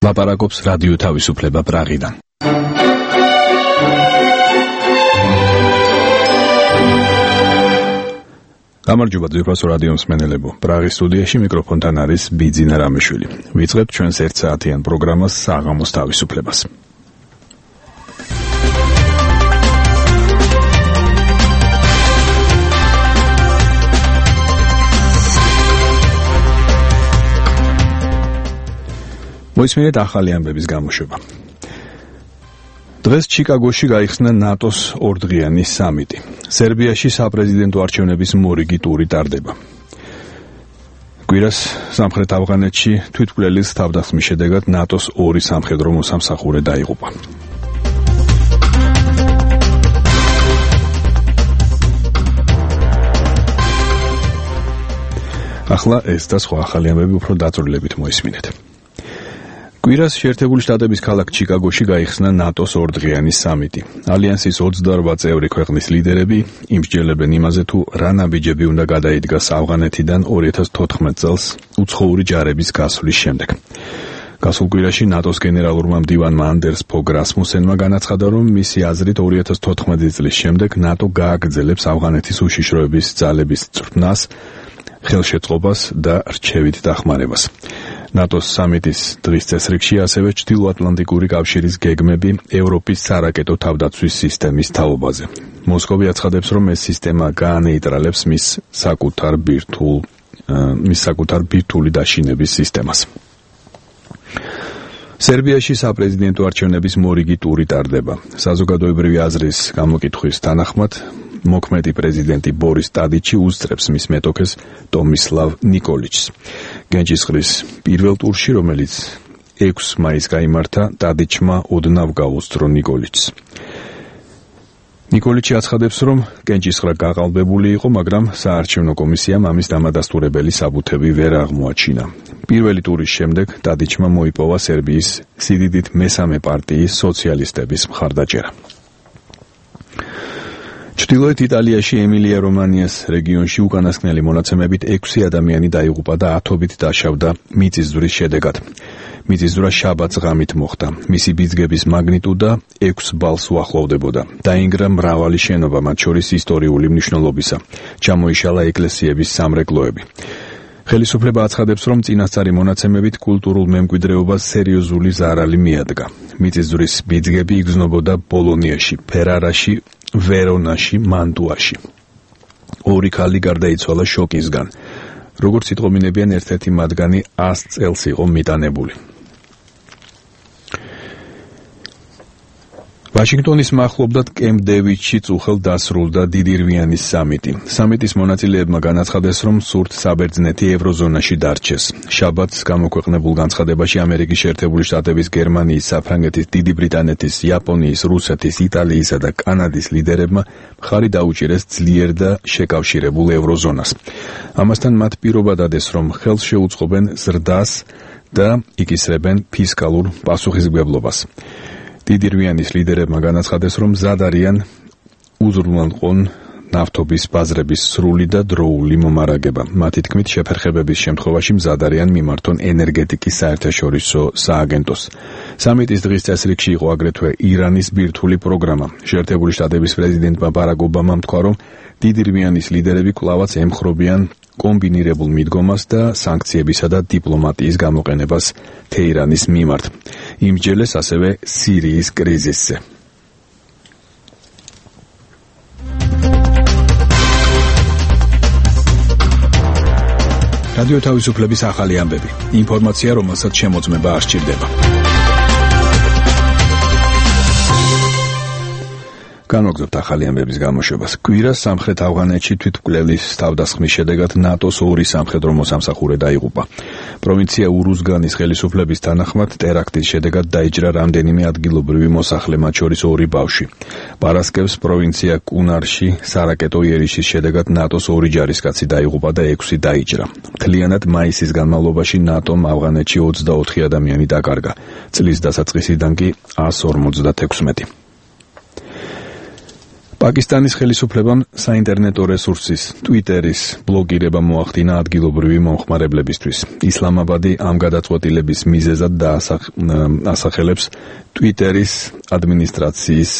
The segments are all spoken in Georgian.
ლაპარაკობს რადიო თავისუფლება პრაღიდან. გამარჯობა ძვირფასო რადიო მსმენელებო. პრაღის სტუდიაში მიკროფონთან არის ბიძინა რამიშვილი. ვიწყებთ ჩვენს 1 საათიან პროგრამას საღამოს თავისუფლებას. მოისმინეთ ახალი ამბების გამოშვება. დღეს ჩიკაგოში გაიხსნა ნატოს ორდღიანი სამიტი. სერბიაში საპრეზიდენტო არჩევნების მორიგი ტური ტარდება. კვირას სამხრეთ ავღანეთში თვითმკვლელის თავდასხმის შედეგად ნატოს 2 სამხედრო მოსამსახურე დაიღუპა. ახლა ეს და სხვა ახალი ამბები უფრო დაწვრილებით მოისმინეთ. კვირას შეერთებული შტატების ქალაქ ჩიკაგოში გაიხსნა ნატოს ორდღიანი სამიტი. ალიანსის 28 წევრი ქვეყნის ლიდერები იმსჯელებენ იმაზე, თუ რა ნაბიჯები უნდა გადაიდგას ავღანეთიდან 2014 წელს უცხოური ჯარების გასვლის შემდეგ. გასულ კვირაში ნატოს გენერალურმა მდივანმა ანდერს ფოგ რასმუსენმა განაცხადა, რომ მისი აზრით 2014 წლის შემდეგ ნატო გააგრძელებს ავღანეთის უშიშროების ძალების წვრთნას, ხელშეწყობას და რჩევით დახმარებას. ნატოს სამიტის დღის წესრიგში ასევე ჩრდილოატლანტიკური კავშირის გეგმები ევროპის სარაკეტო თავდაცვის სისტემის თაობაზე. მოსკოვი აცხადებს, რომ ეს სისტემა გაანეიტრალებს მის საკუთარ ბირთვული დაშინების სისტემას. სერბიაში საპრეზიდენტო არჩევნების მორიგი ტური ტარდება. საზოგადოებრივი აზრის გამოკითხვის თანახმად მოქმედი პრეზიდენტი ბორის ტადიჩი უსწრებს მის მეტოქეს ტომისლავ ნიკოლიჩს. გენჯისყრის პირველ ტურში, რომელიც 6 მაისს გაიმართა, ტადიჩმა ოდნავ გაუსწრო ნიკოლიჩს. ნიკოლიჩი აცხადებს, რომ გენჯისყრა გაყალბებული იყო, მაგრამ საარჩევნო კომისიამ ამის დამადასტურებელი საბუთები ვერ აღმოაჩინა. პირველი ტურის შემდეგ ტადიჩმა მოიპოვა სერბიის სიდიდით მესამე პარტიის სოციალისტების მხარდაჭერა. ჩრდილოეთ იტალიაში ემილია-რომანიას რეგიონში უკანასკნელი მონაცემებით 6 ადამიანი დაიღუპა და 10-ობით დაშავდა მიწისძვრის შედეგად. მიწისძვრა შაბათს ღამით მოხდა. მისი ბიძგების მაგნიტუდა 6 ბალს უახლოვდებოდა. დაინგრა მრავალი შენობა, მათ შორის ისტორიული მნიშვნელობისა. ჩამოიშალა ეკლესიების სამრეკლოები. ხელისუფლება აცხადებს, რომ წინასწარი მონაცემებით კულტურულ მემკვიდრეობას სერიოზული ზარალი მიადგა. მიწისძვრის ბიძგები იგრძნობოდა ბოლონიაში, ფერარაში, ვერონაში, მანტუაში. 2 ქალი გარდაიცვალა შოკისგან. როგორც იტყობინებიან, ერთ-ერთი მათგანი 100 წელს იყო მიტანებული. ვაშინგტონის მახლობლად კემპ დევიდში წუხელ დასრულდა დიდირვიანის სამიტი. სამიტის მონაწილეებმა განაცხადეს, რომ სურთ საბერძნეთი ევროზონაში დარჩეს. შაბათს გამოქვეყნებულ განცხადებაში ამერიკის შეერთებული შტატების, გერმანიის, საფრანგეთის, დიდი ბრიტანეთის, იაპონიის, რუსეთის, იტალიისა და კანადის ლიდერებმა მხარი დაუჭირეს ძლიერ და შეკავშირებულ ევროზონას. ამასთან მათ პირობა დადეს, რომ ხელს შეუწყობენ ზრდას და იკისრებენ ფისკალურ პასუხისმგებლობას. დიდირვიანის ლიდერებმა განაცხადეს, რომ მზად არიან უზრუნველყონ ნავთობის ბაზრების სრული და დროული მომარაგება. მათი თქმით, შეფერხებების შემთხვევაში მზად არიან მიმართონ ენერგეტიკის საერთაშორისო სააგენტოს. სამიტის დღის წესრიგში იყო აგრეთვე ირანის ბირთვული პროგრამა. შეერთებული შტატების პრეზიდენტმა ბარაკ ობამამ თქვა, რომ დიდირვიანის ლიდერები კვლავაც ემხრობიან კომბინირებულ მიდგომას და სანქციებისა და დიპლომატიის გამოყენებას თეირანის მიმართ. იმსჯელეს ასევე სირიის კრიზისზე. რადიო თავისუფლების ახალი ამბები. ინფორმაცია, რომელსაც შემოწმება არ სჭირდება. განვაგრძობთ ახალი ამბების გამოშვებას. კვირას სამხრეთ ავღანეთში თვითმკვლელის თავდასხმის შედეგად ნატოს 2 სამხედრო მოსამსახურე დაიღუპა. პროვინცია ურუზგანის ხელისუფლების თანახმად ტერაქტის შედეგად დაიჭრა რამდენიმე ადგილობრივი მოსახლე, მათ შორის 2 ბავშვი. პარასკევს პროვინცია კუნარში სარაკეტო იერიშის შედეგად ნატოს 2 ჯარისკაცი დაიღუპა და 6 დაიჭრა. მთლიანად მაისის განმავლობაში ნატომ ავღანეთში 24 ადამიანი დაკარგა. წლის დასაწყისიდან კი 156. პაკისტანის ხელისუფლებამ საინტერნეტო რესურსის Twitter-ის ბლოკირება მოახდინა ადგილობრივი მომხმარებლებისთვის. ისლამაბადი ამ გადაწყვეტილების მიზეზად ასახელებს Twitter-ის ადმინისტრაციის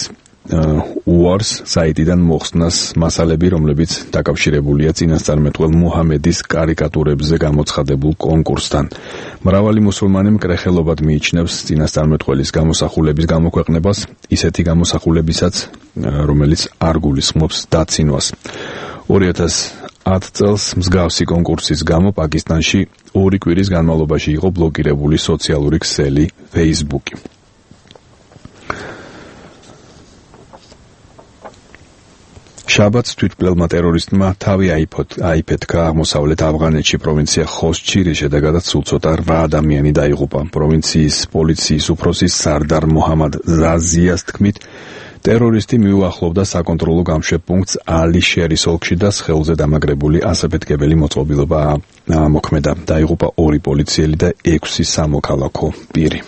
UARS საიტიდან მოხსნას მასალები, რომლებიც დაკავშირებულია წინასწარმეტყველ მუჰამედის კარიკატურებზე გამოცხადებულ კონკურსთან. მრავალი მუსულმანი მკრეხელობად მიიჩნევს წინასწარმეტყველის გამოსახულების გამოქვეყნებას, ისეთი გამოსახულებისაც, რომელიც არ გულისხმობს დაცინვას. 2010 წელს მსგავსი კონკურსის გამო პაკისტანში 2 კვირის განმავლობაში იყო ბლოკირებული სოციალური ქსელი Facebook-ი. შაბათს თვითმკვლელმა ტერორისტმა თავი აიფეთქა აღმოსავლეთ ავღანეთში პროვინცია ხოსჩი, რის შედეგადაც სულ ცოტა 8 ადამიანი დაიღუპა. პროვინციის პოლიციის უფროსი სარდარ მოჰამად ზაზიას თქმით, ტერორისტი მიუახლოვდა საკონტროლო გამშვებ პუნქტს ალი-შერის ოლქში და სხეულზე დამაგრებული ასაფეთქებელი მოწყობილობა მოქმედა. დაიღუპა 2 პოლიციელი და 6 სამოქალაქო პირი.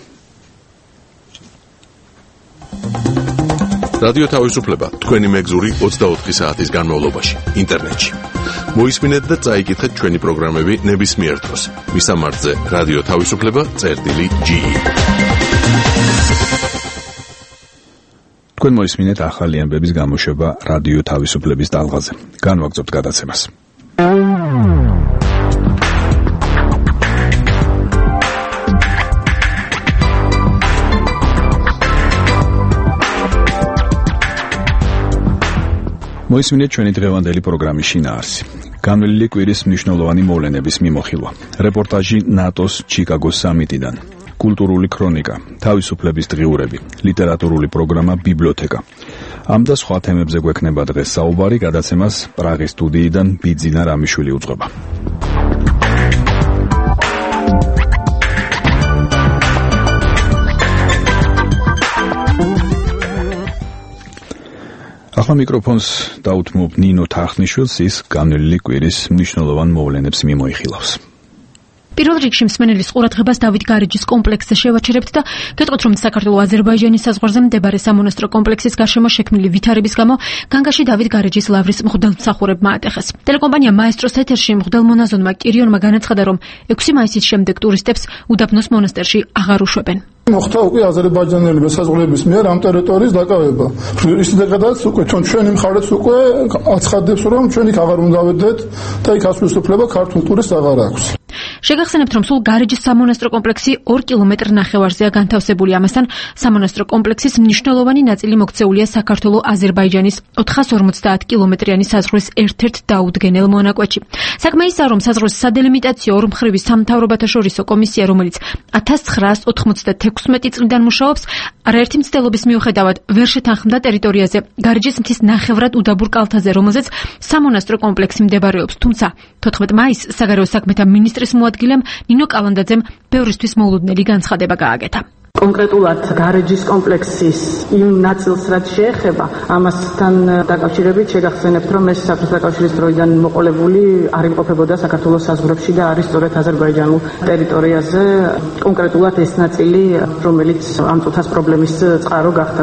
რადიო თავისუფლება თქვენი მეგზური 24 საათის განმავლობაში ინტერნეტში. მოისმინეთ და წაიკითხეთ ჩვენი პროგრამები ნებისმიერ დროს. მისამართზე რადიო თავისუფლება.ge. თქვენ მოისმინეთ ახალი ამბების გამოშვება რადიო თავისუფლების ტალღაზე. განვაგრძობთ გადაცემას. მოისმინეთ ჩვენი დღევანდელი პროგრამის შინაარსი. განვლილი კვირის მნიშვნელოვანი მოვლენების მიმოხილვა. რეპორტაჟი ნატოს ჩიკაგოს სამიტიდან. კულტურული ქრონიკა, თავისუფლების დღიურები, ლიტერატურული პროგრამა ბიბლიოთეკა. ამ და სხვა თემებზე გვექნება დღეს საუბარი, გადაცემას პრაღის სტუდიიდან ბიძინა რამიშვილი უძღვება. ახლა მიკროფონს დაუთმობ ნინო თახნიშვილს, ის განვლილი კვირის მნიშვნელოვან მოვლენებს მიმოიხილავს. პირველ რიგში მსმენელის ყურადღებას დავით გარეჯის კომპლექსზე შევაჩერებთ და გეტყვით, რომ საქართველო-აზერბაიჯანის საზღვარზე მდებარე სამონასტრო კომპლექსის გარშემო შექმნილი ვითარების გამო განგაში დავით გარეჯის ლავრის მღვდელმსახურებმა ატეხეს. ტელეკომპანია მაესტროს ეთერში მღვდელმონაზონმა კირიონმა განაცხადა, რომ 6 მაისის შემდეგ ტურისტებს უდაბნოს მონასტერში აღარ უშვებენ. მოხდა უკვე აზერბაიჯანელი მესაზღვრეების მიერ ამ ტერიტორიის დაკავება. ისედაც უკვე ჩვენი მხარეც უკვე აცხადებს, რომ ჩვენ იქ აღარ უნდა ვედეთ და იქ ასვლის უფლება ქართულ ტურისტს აღარ აქვს. შეგახსენებთ, რომ სულ გარეჯის სამონასტრო კომპლექსი 2 კილომეტრ ნახევარზეა განთავსებული. ამასთან სამონასტრო კომპლექსის მნიშვნელოვანი ნაწილი მოქცეულია საქართველო-აზერბაიჯანის 450 კილომეტრიანი საზღვრის ერთ-ერთ დაუდგენელ მონაკვეთში. საქმე ისაა, რომ საზღვრის სადელიმიტაციო ორმხრივი სამთავრობათაშორისო კომისია, რომელიც 1996 წლიდან მუშაობს, არაერთი მცდელობის მიუხედავად ვერ შეთანხმდა ტერიტორიაზე გარეჯის მთის ნახევრად უდაბურ კალთაზე, რომელზეც სამონასტრო კომპლექსი მდებარეობს. თუმცა 14 მაისს საგარეო საქმეთა მინისტრის მოადგილემ ნინო კალანდაძემ ბევრისთვის მოულოდნელი განცხადება გააკეთა. კონკრეტულად გარეჯის კომპლექსის იმ ნაწილს, რაც შეეხება, ამასთან დაკავშირებით შეგახსენებთ, რომ ეს საბჭოთა კავშირის დროიდან მოყოლებული არ იმყოფებოდა საქართველოს საზღვრებში და არის სწორედ აზერბაიჯანულ ტერიტორიაზე, კონკრეტულად ეს ნაწილი, რომელიც ამ წუთას პრობლემის წყარო გახდა.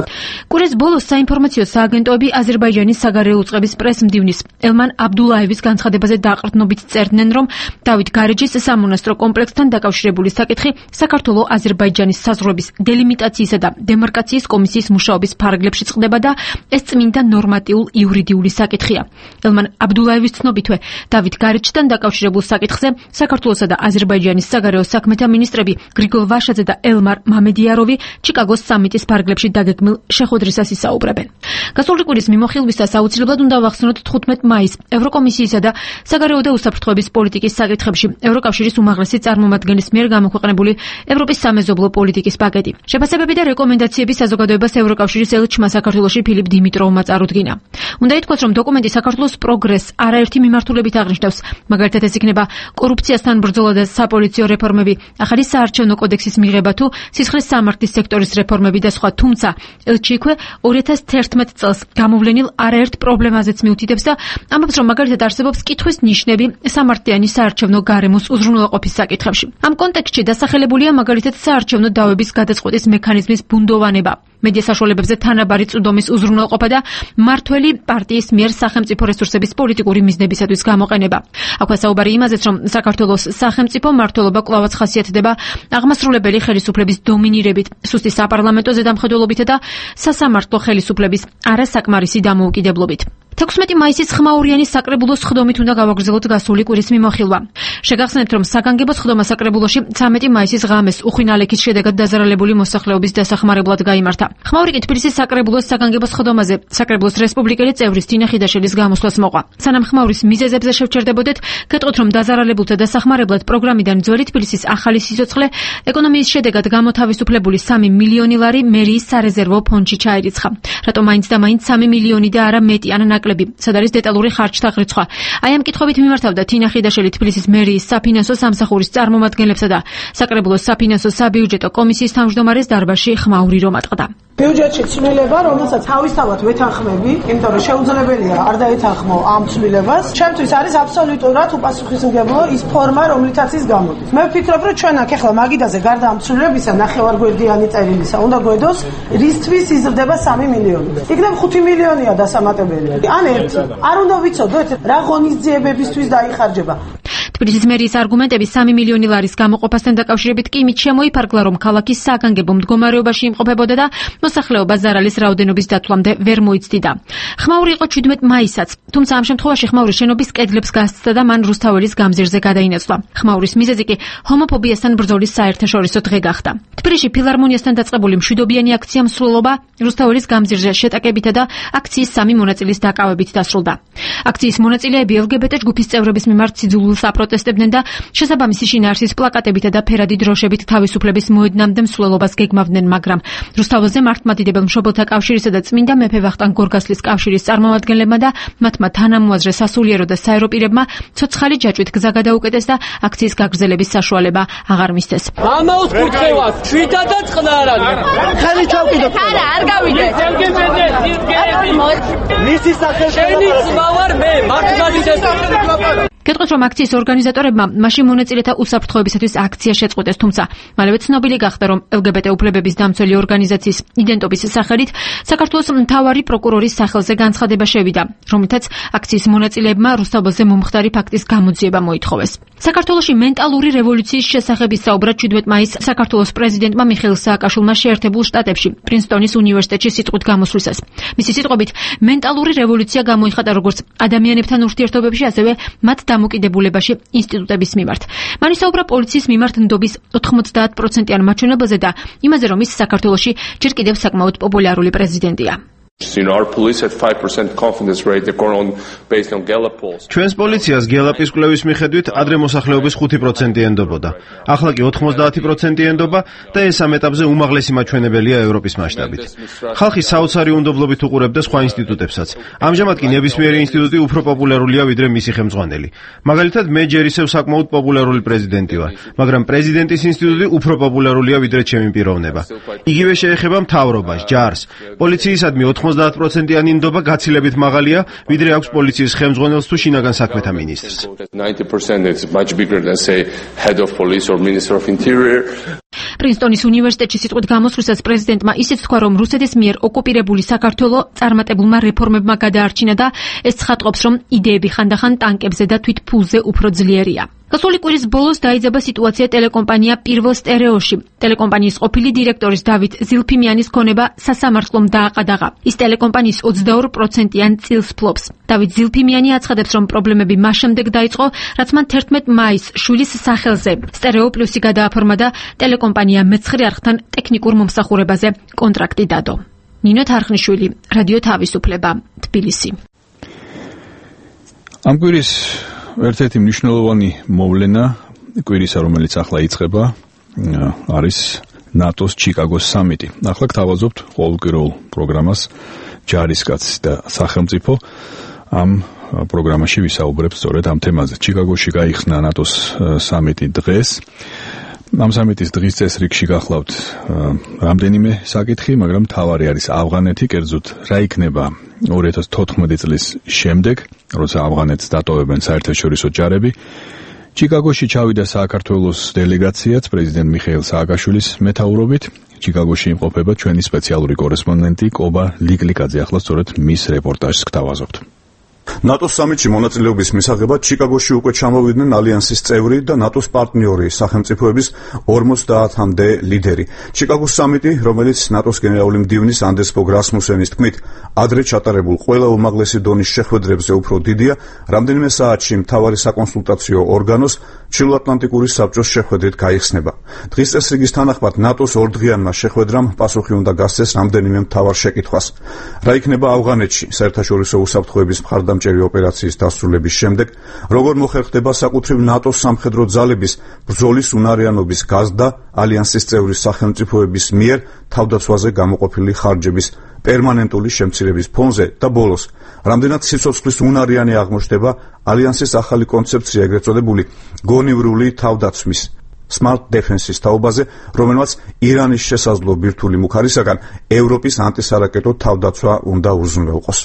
კვირის ბოლოს საინფორმაციო სააგენტოები აზერბაიჯანის საგარეო უწყების პრესმდივნის ელმან აბდულაევის განცხადებაზე დაყრდნობით წერდნენ, რომ დავით გარეჯის სამონასტრო კომპლექსთან დაკავშირებული საკითხი საქართველო-აზერბაიჯანის საზღვრების დელიმიტაციისა და დემარკაციის კომისიის მუშაობის ფარგლებში წყდება და ეს წმინდა ნორმატიულ იურიდიული საკითხია. ელმან აბდულაევის ცნობითვე, დავით გარეჯთან დაკავშირებულ საკითხზე საქართველოსა და აზერბაიჯანის საგარეო საქმეთა მინისტრები გრიგოლ ვაშაძე და ელმარ მამედიაროვი ჩიკაგოს სამიტის ფარგლებში დაგეგმილ შეხვედრისას ისაუბრებენ. გასული კვირის მიმოხილვისას აუცილებლად უნდა ვახსენოთ 15 მაისს ევროკომისიისა და საგარეო და უსაფრთხოების პოლიტიკის საკითხებში ევროკავშირის უმაღლესი წარმომადგენლის მიერ გამოქვეყნებული ევროპის სამეზობლო პოლიტიკის პაკეტი. შეფასებები და რეკომენდაციები საზოგადოებას ევროკავშირის ელჩმა საქართველოში ფილიპ დიმიტროვმა წარუდგინა. უნდა ითქვას, რომ დოკუმენტი საქართველოს პროგრესს არაერთი მიმართულებით აღნიშნავს. მაგალითად, ეს იქნება კორუფციასთან ბრძოლა და საპოლიციო რეფორმები, ახალი საარჩევნო კოდექსის მიღება თუ სისხლის სამართლის სექტორის რეფორმები და სხვა. თუმცა ელჩი იქვე 2011 წელს გამოვლენილ არაერთ პრობლემაზეც მიუთითებს და ამბობს, რომ მაგალითად არსებობს კითხვის ნიშნები სამართლიანი საარჩევნო გარემოს უზრუნველყოფის საკითხებში. ამ კონტექსტში დასახელებულია მაგალითად საარჩევნო დავების გადაწყვეტის მექანიზმის ბუნდოვანება. მედია საშუალებებზე თანაბარი წვდომის უზრუნველყოფა და მმართველი პარტიის მიერ სახელმწიფო რესურსების პოლიტიკური მიზნებისათვის გამოყენება. აქვე საუბარი იმაზეც, რომ საქართველოს სახელმწიფო მმართველობა კვლავაც ხასიათდება აღმასრულებელი ხელისუფლების დომინირებით, სუსტი საპარლამენტო ზედამხედველობითა და სასამართლო ხელისუფლების არასაკმარისი დამოუკიდებლობით. 16 მაისის ხმაურიანის საკრებულოს ხდომით უნდა გავაგრძელოთ გასული კვირის მიმოხილვა. შეგახსენებთ, რომ საგანგებო ხდომა საკრებულოში 13 მაისის ღამეს უხვინალექის შედეგად დაზარალებული მოსახლეობის დასახმარებლად გაიმართა. ხმაური კი თბილისის საკრებულოს საგანგებო ხდომაზე საკრებულოს რესპუბლიკელი წევრის თინა ხიდაშელის გამოსვლას მოყვა. სანამ ხმაურის მიზეზებზე შევჩერდებოდეთ, გეტყვით, რომ დაზარალებულთა დასახმარებლად პროგრამიდან ძველი თბილისის ახალი სიცოცხლე ეკონომიის შედეგად გამოთავისუფლებული 3 მილიონი ლარი მერიის სარეზერვო ფონდში ჩაირიცხა. რატომ მაინც და მაინც 3 მილიონი და არა მეტი ან სად არის დეტალური ხარჯთა რიცხვ. აი ამ კითხვებით მიმართავდა თინა ხიდაშელი თბილისის მერიის საფინანსო სამსახურის წარმომადგენლებსა და საკრებულოს საფინანსო საბიუჯეტო კომისიის თავმჯდომარეს დარბაზში ხმაური რომ ატყდა. ბიუჯეტში ცვლილება, რომელსაც თავისთავად ვეთანხმები, იმიტომ რომ შეუძლებელია არ დაეთანხმო ამ ცვლილებას. ჩემთვის არის აბსოლუტურად უპასუხისმგებლო ის ფორმა, რომლითაც ის გამოდის. მე ვფიქრობ, რომ ჩვენ აქ ახლა მაგიდაზე გარდა ამ ცვლილებისა ნახევარგვერდიანი წერილისა უნდა გვედოს რისთვის იზრდება 3 მილიონი. იქნებ 5 მილიონია დასამატებელი. ან ერთი. არ უნდა ვიცოდოთ რა ღონისძიებებისთვის დაიხარჯება. თბილისის მერიის არგუმენტები 3 მილიონი ლარის გამოყოფასთან დაკავშირებით კი იმით შემოიფარგლა, რომ ქალაქის საგანგებო მდგომარეობაში იმყოფებოდა და მოსახლეობა ზარალის რაოდენობის დათვლამდე ვერ მოიცდიდა. ხმაური იყო 17 მაისაც, თუმცა ამ შემთხვევაში ხმაურის შენობის კედლებს გასცდა და მან რუსთაველის გამზირზე გადაინაცვლა. ხმაურის მიზეზი კი ჰომოფობიასთან ბრძოლის საერთაშორისო დღე გახდა. თბილისში ფილარმონიასთან დაწყებული მშვიდობიანი აქცია მსვლელობა რუსთაველის გამზირზე შეტაკებითა და აქციის 3 მონაწილის დაკავებით დასრულდა. აქციის მონაწილეები LGBT ჯგუფის წევრების მიმართ სიძულვილს აპროტესტებდნენ და შესაბამისი შინაარსის პლაკატებითა და ფერადი დროშებით თავისუფლების მოედნამდე მსვლელობას გეგმავდნენ, მაგრამ რუსთაველზე მართლმადიდებელ მშობელთა კავშირისა და წმინდა მეფე ვახტანგ გორგასლის კავშირის წარმომადგენლებმა და მათმა თანამოაზრე სასულიერო და საერო პირებმა ცოცხალი ჯაჭვით გზა გადაუკეტეს და აქციის გაგრძელების საშუალება აღარ მისცეს. ამაუს კურთხევას ჩვიდა და წყნარად. ხელი ჩავკიდოთ. არა, არ გავიდეთ. მისი სახელი შენი ძმა ვარ მე, მართლმადიდებელ. გეტყვით, რომ აქციის ორგანიზატორებმა მაშინ მონაწილეთა უსაფრთხოებისათვის აქცია შეწყვეტეს, თუმცა მალევე ცნობილი გახდა, რომ LGBT უფლებების დამცველი ორგანიზაციის იდენტობის სახელით საქართველოს მთავარი პროკურორის სახელზე განცხადება შევიდა, რომლითაც აქციის მონაწილეებმა რუსთაველზე მომხდარი ფაქტის გამოძიება მოითხოვეს. საქართველოში მენტალური რევოლუციის შესახებ ისაუბრა 17 მაისს საქართველოს პრეზიდენტმა მიხეილ სააკაშვილმა შეერთებულ შტატებში, პრინსტონის უნივერსიტეტში სიტყვით გამოსვლისას. მისი სიტყვებით, მენტალური რევოლუცია გამოიხატა როგორც ადამიანებთან ურთიერთობებში, ასევე მათ დამოკიდებულებაში ინსტიტუტების მიმართ. მან ისაუბრა პოლიციის მიმართ ნდობის 90%-იან მაჩვენებელზე და იმაზე, რომ ის საქართველოში ჯერ კიდევ საკმაოდ პოპულარული პრეზიდენტია. ჩვენს პოლიციას გელაპის კვლევის მიხედვით ადრე მოსახლეობის 5% ენდობოდა. ახლა კი 90% ენდობა და ეს ამ ეტაპზე უმაღლესი მაჩვენებელია ევროპის მასშტაბით. ხალხი საოცარი უნდობლობით უყურებდა სხვა ინსტიტუტებსაც. ამჟამად კი ნებისმიერი ინსტიტუტი უფრო პოპულარულია ვიდრე მისი ხელმძღვანელი. მაგალითად, მე ჯერ ისევ საკმაოდ პოპულარული პრეზიდენტი ვარ, მაგრამ პრეზიდენტის ინსტიტუტი უფრო პოპულარულია ვიდრე ჩემი პიროვნება. იგივე შეეხება მთავრობას, ჯარს, პოლიციისადმი 90%-იანი ნდობა გაცილებით მაღალია, ვიდრე აქვს პოლიციის ხელმძღვანელს თუ შინაგან საქმეთა მინისტრს. პრინსტონის უნივერსიტეტში სიტყვით გამოსვლისას პრეზიდენტმა ისიც თქვა, რომ რუსეთის მიერ ოკუპირებული საქართველო წარმატებულმა რეფორმებმა გადაარჩინა და ეს ცხადყოფს, რომ იდეები ხანდახან ტანკებზე და თვით ფულზე უფრო ძლიერია. გასული კვირის ბოლოს დაიძაბა სიტუაცია ტელეკომპანია პირველ სტერეოში. ტელეკომპანიის ყოფილი დირექტორის დავით ზილფიმიანის ქონება სასამართლომ დააყადაღა. ის ტელეკომპანიის 22%-იან წილს ფლობს. დავით ზილფიმიანი აცხადებს, რომ პრობლემები მას შემდეგ დაიწყო, რაც მან 11 მაისს შვილის სახელზე სტერეო პლუსი გადააფორმა და ტელეკომპანია მეცხრე არხთან ტექნიკურ მომსახურებაზე კონტრაქტი დადო. ნინო თარხნიშვილი, რადიო თავისუფლება, თბილისი. ამ კვირის ერთ-ერთი მნიშვნელოვანი მოვლენა კვირისა, რომელიც ახლა იწყება, არის ნატოს ჩიკაგოს სამიტი. ახლა გთავაზობთ ყოველკვირეულ პროგრამას ჯარისკაცი და სახელმწიფო. ამ პროგრამაში ვისაუბრებთ სწორედ ამ თემაზე. ჩიკაგოში გაიხსნა ნატოს სამიტი დღეს. ამ სამიტის დღის წესრიგში გახლავთ რამდენიმე საკითხი, მაგრამ მთავარი არის ავღანეთი, კერძოდ რა იქნება 2014 წლის შემდეგ, როცა ავღანეთს დატოვებენ საერთაშორისო ჯარები. ჩიკაგოში ჩავიდა საქართველოს დელეგაციაც პრეზიდენტ მიხეილ სააკაშვილის მეთაურობით. ჩიკაგოში იმყოფება ჩვენი სპეციალური კორესპონდენტი კობა ლიკლიკაძე. ახლა სწორედ მის რეპორტაჟს გთავაზობთ. ნატოს სამიტში მონაწილეობის მისაღებად ჩიკაგოში უკვე ჩამოვიდნენ ალიანსის წევრი და ნატოს პარტნიორი სახელმწიფოების 50-მდე ლიდერი. ჩიკაგოს სამიტი, რომელიც ნატოს გენერალური მდივნის ანდერს ფოგ რასმუსენის თქმით, ადრე ჩატარებულ ყველა უმაღლესი დონის შეხვედრებზე უფრო დიდია, რამდენიმე საათში მთავარი საკონსულტაციო ორგანოს ჩრდილოატლანტიკური საბჭოს შეხვედრით გაიხსნება. დღის წესრიგის თანახმად ნატოს ორდღიანმა შეხვედრამ პასუხი უნდა გასცეს რამდენიმე მთავარ შეკითხვას. რა იქნება ავღანეთში საერთაშორისო უსაფრთხოების მხარდამჭერი ოპერაციის დასრულების შემდეგ, როგორ მოხერხდება საკუთრივ ნატოს სამხედრო ძალების ბრძოლის უნარიანობის გაზრდა ალიანსის წევრი სახელმწიფოების მიერ თავდაცვაზე გამოყოფილი ხარჯების პერმანენტული შემცირების ფონზე და ბოლოს, რამდენად სიცოცხლის უნარიანი აღმოჩნდება ალიანსის ახალი კონცეფცია, ეგრეთ წოდებული გონივრული თავდაცვის Smart Defense-ის თაობაზე, რომელმაც ირანის შესაძლო ბირთვული მუქარისაგან ევროპის ანტისარაკეტო თავდაცვა უნდა უზრუნველყოს.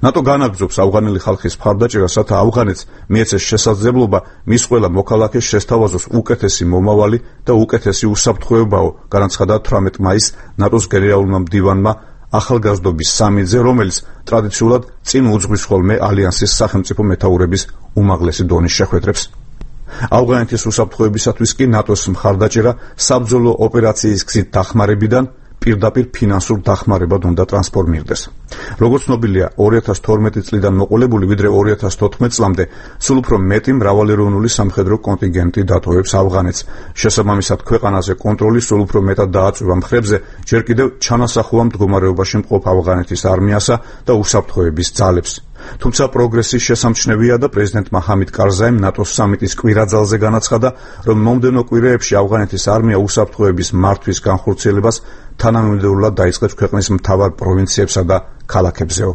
ნატო განაგრძობს ავღანელი ხალხის მხარდაჭერას, რათა ავღანეთს მიეცეს შესაძლებლობა მის ყველა მოქალაქეს შესთავაზოს უკეთესი მომავალი და უკეთესი უსაფრთხოებაო, განაცხადა 18 მაისს ნატოს გენერალურმა მდივანმა ახალგაზრდობის სამიტზე, რომელიც ტრადიციულად წინ უძღვის ხოლმე ალიანსის სახელმწიფო მეთაურების უმაღლესი დონის შეხვედრებს. ავღანეთის უსაფრთხოებისათვის კი ნატოს მხარდაჭერა საბრძოლო ოპერაციის გზით დახმარებიდან პირდაპირ ფინანსურ დახმარებად უნდა ტრანსფორმირდეს. როგორც ცნობილია, 2012 წლიდან მოყოლებული ვიდრე 2014 წლამდე სულ უფრო მეტი მრავალეროვნული სამხედრო კონტინგენტი დატოვებს ავღანეთს. შესაბამისად, ქვეყანაზე კონტროლი სულ უფრო მეტად დააწვევა მხრებზე, ჯერ კიდევ ჩანასახულა მდგომარეობაში მყოფ ავღანეთის არმიასა და უსაფრთხოების ძალებს. თუმცა პროგრესი შესამჩნევია და პრეზიდენტმა ჰამიდ კარზაიმ ნატოს სამიტის კვირაძალზე განაცხადა, რომ მომდევნო კვირეებში ავღანეთის არმია უსაფრთხოების მართვის განხორციელებას თანამიმდევრულად დაიწყებს ქვეყნის მთავარ პროვინციებსა და ქალაქებზეო.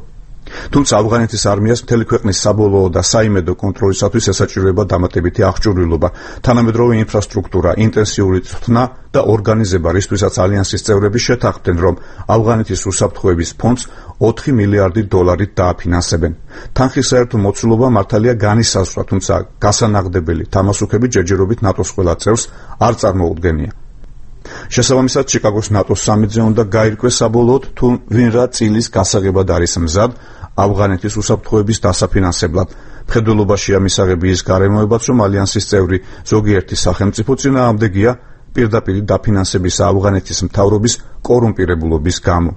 თუმცა ავღანეთის არმიას მთელი ქვეყნის საბოლოო და საიმედო კონტროლისათვის ესაჭიროება დამატებითი აღჭურვილობა, თანამედროვე ინფრასტრუქტურა, ინტენსიური წვრთნა და ორგანიზება, რისთვისაც ალიანსის წევრები შეთანხმდნენ, რომ ავღანეთის უსაფრთხოების ფონდს 4 მილიარდი დოლარით დააფინანსებენ. თანხის საერთო მოცულობა მართალია განისაზღვრა, თუმცა გასანაღდებელი თამასუქები ჯერჯერობით ნატოს ყველა წევრს არ წარმოუდგენია. შესაბამისად, ჩიკაგოს ნატოს სამიტზე უნდა გაირკვეს საბოლოოდ, თუ ვინ რა წილის გასაღებად არის მზად ავღანეთის უსაფრთხოების დასაფინანსებლად. მხედველობაშია მისაღები ის გარემოებაც, რომ ალიანსის წევრი ზოგიერთი სახელმწიფო წინააღმდეგია პირდაპირ დაფინანსებისა ავღანეთის მთავრობის კორუმპირებულობის გამო.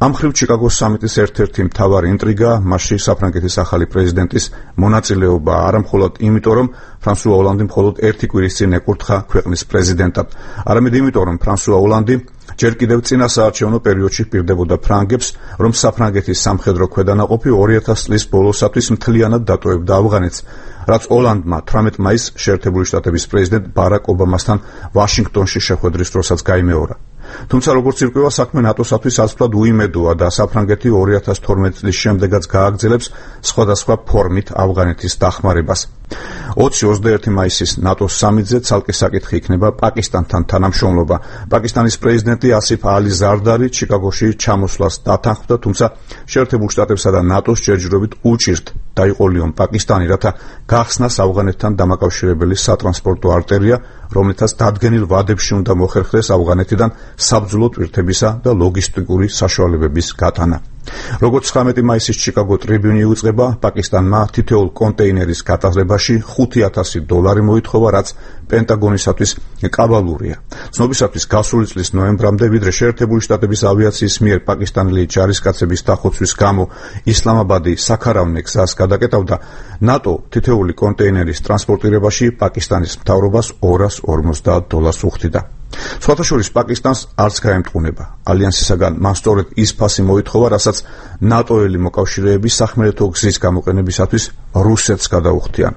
ამ მხრივ ჩიკაგოს სამიტის ერთ-ერთი მთავარი ინტრიგა მასში საფრანგეთის ახალი პრეზიდენტის მონაწილეობა, არამხოლოდ იმიტომ, რომ ფრანსუა ოლანდი მხოლოდ ერთი კვირის წინ ეკურთხა ქვეყნის პრეზიდენტად, არამედ იმიტომ, რომ ფრანსუა ოლანდი ჯერ კიდევ წინასაარჩევნო პერიოდში პირდებოდა ფრანგებს, რომ საფრანგეთის სამხედრო ქვედანაყოფი 2000 წლის ბოლოსათვის მთლიანად დატოვებდა ავღანეთს, რაც ოლანდმა 18 მაისს შეერთებული შტატების პრეზიდენტ ბარაკ ობამასთან ვაშინგტონში შეხვედრის დროსაც გაიმეორა. თუმცა როგორც ირკვევა, საქმე ნატოსათვის ასფლად უიმედოა და საფრანგეთი 2012 წლის შემდეგაც გააგრძელებს სხვადასხვა ფორმით ავღანეთის დახმარებას. 20-21 მაისის ნატოს სამიტზე ცალკე საკითხი იქნება პაკისტანთან თანამშრომლობა. პაკისტანის პრეზიდენტი ასიფ ალი ზარდარი ჩიკაგოში ჩამოსვლას დათანხმდა, თუმცა შეერთებულ შტატებსა და ნატოს ჯერჯერობით უჭირთ დაიყოლიონ პაკისტანი, რათა გახსნას ავღანეთთან დამაკავშირებელი სატრანსპორტო არტერია, რომლითაც დადგენილ ვადებში უნდა მოხერხდეს ავღანეთიდან საბრძოლო ტვირთებისა და ლოგისტიკური საშუალებების გატანა. როგორც 19 მაისის ჩიკაგო ტრიბიუნი უწყება, პაკისტანმა თითოეულ კონტეინერის გატარებაში $5,000 მოითხოვა, რაც პენტაგონისათვის კაბალურია. ცნობისათვის გასული წლის ნოემბრამდე, ვიდრე შეერთებული შტატების ავიაციის მიერ პაკისტანელი ჯარისკაცების დახოცვის გამო ისლამაბადი საქარავნე გზას გადაკეტავდა, ნატო თითოეული კონტეინერის ტრანსპორტირებაში პაკისტანის მთავრობას $250 უხდიდა. სხვათა შორის პაკისტანს არც გაემტყუნება. ალიანსისაგან მას სწორედ ის ფასი მოითხოვა, რასაც ნატოელი მოკავშირეები სახმელეთო გზის გამოყენებისათვის რუსეთს გადაუხდიან.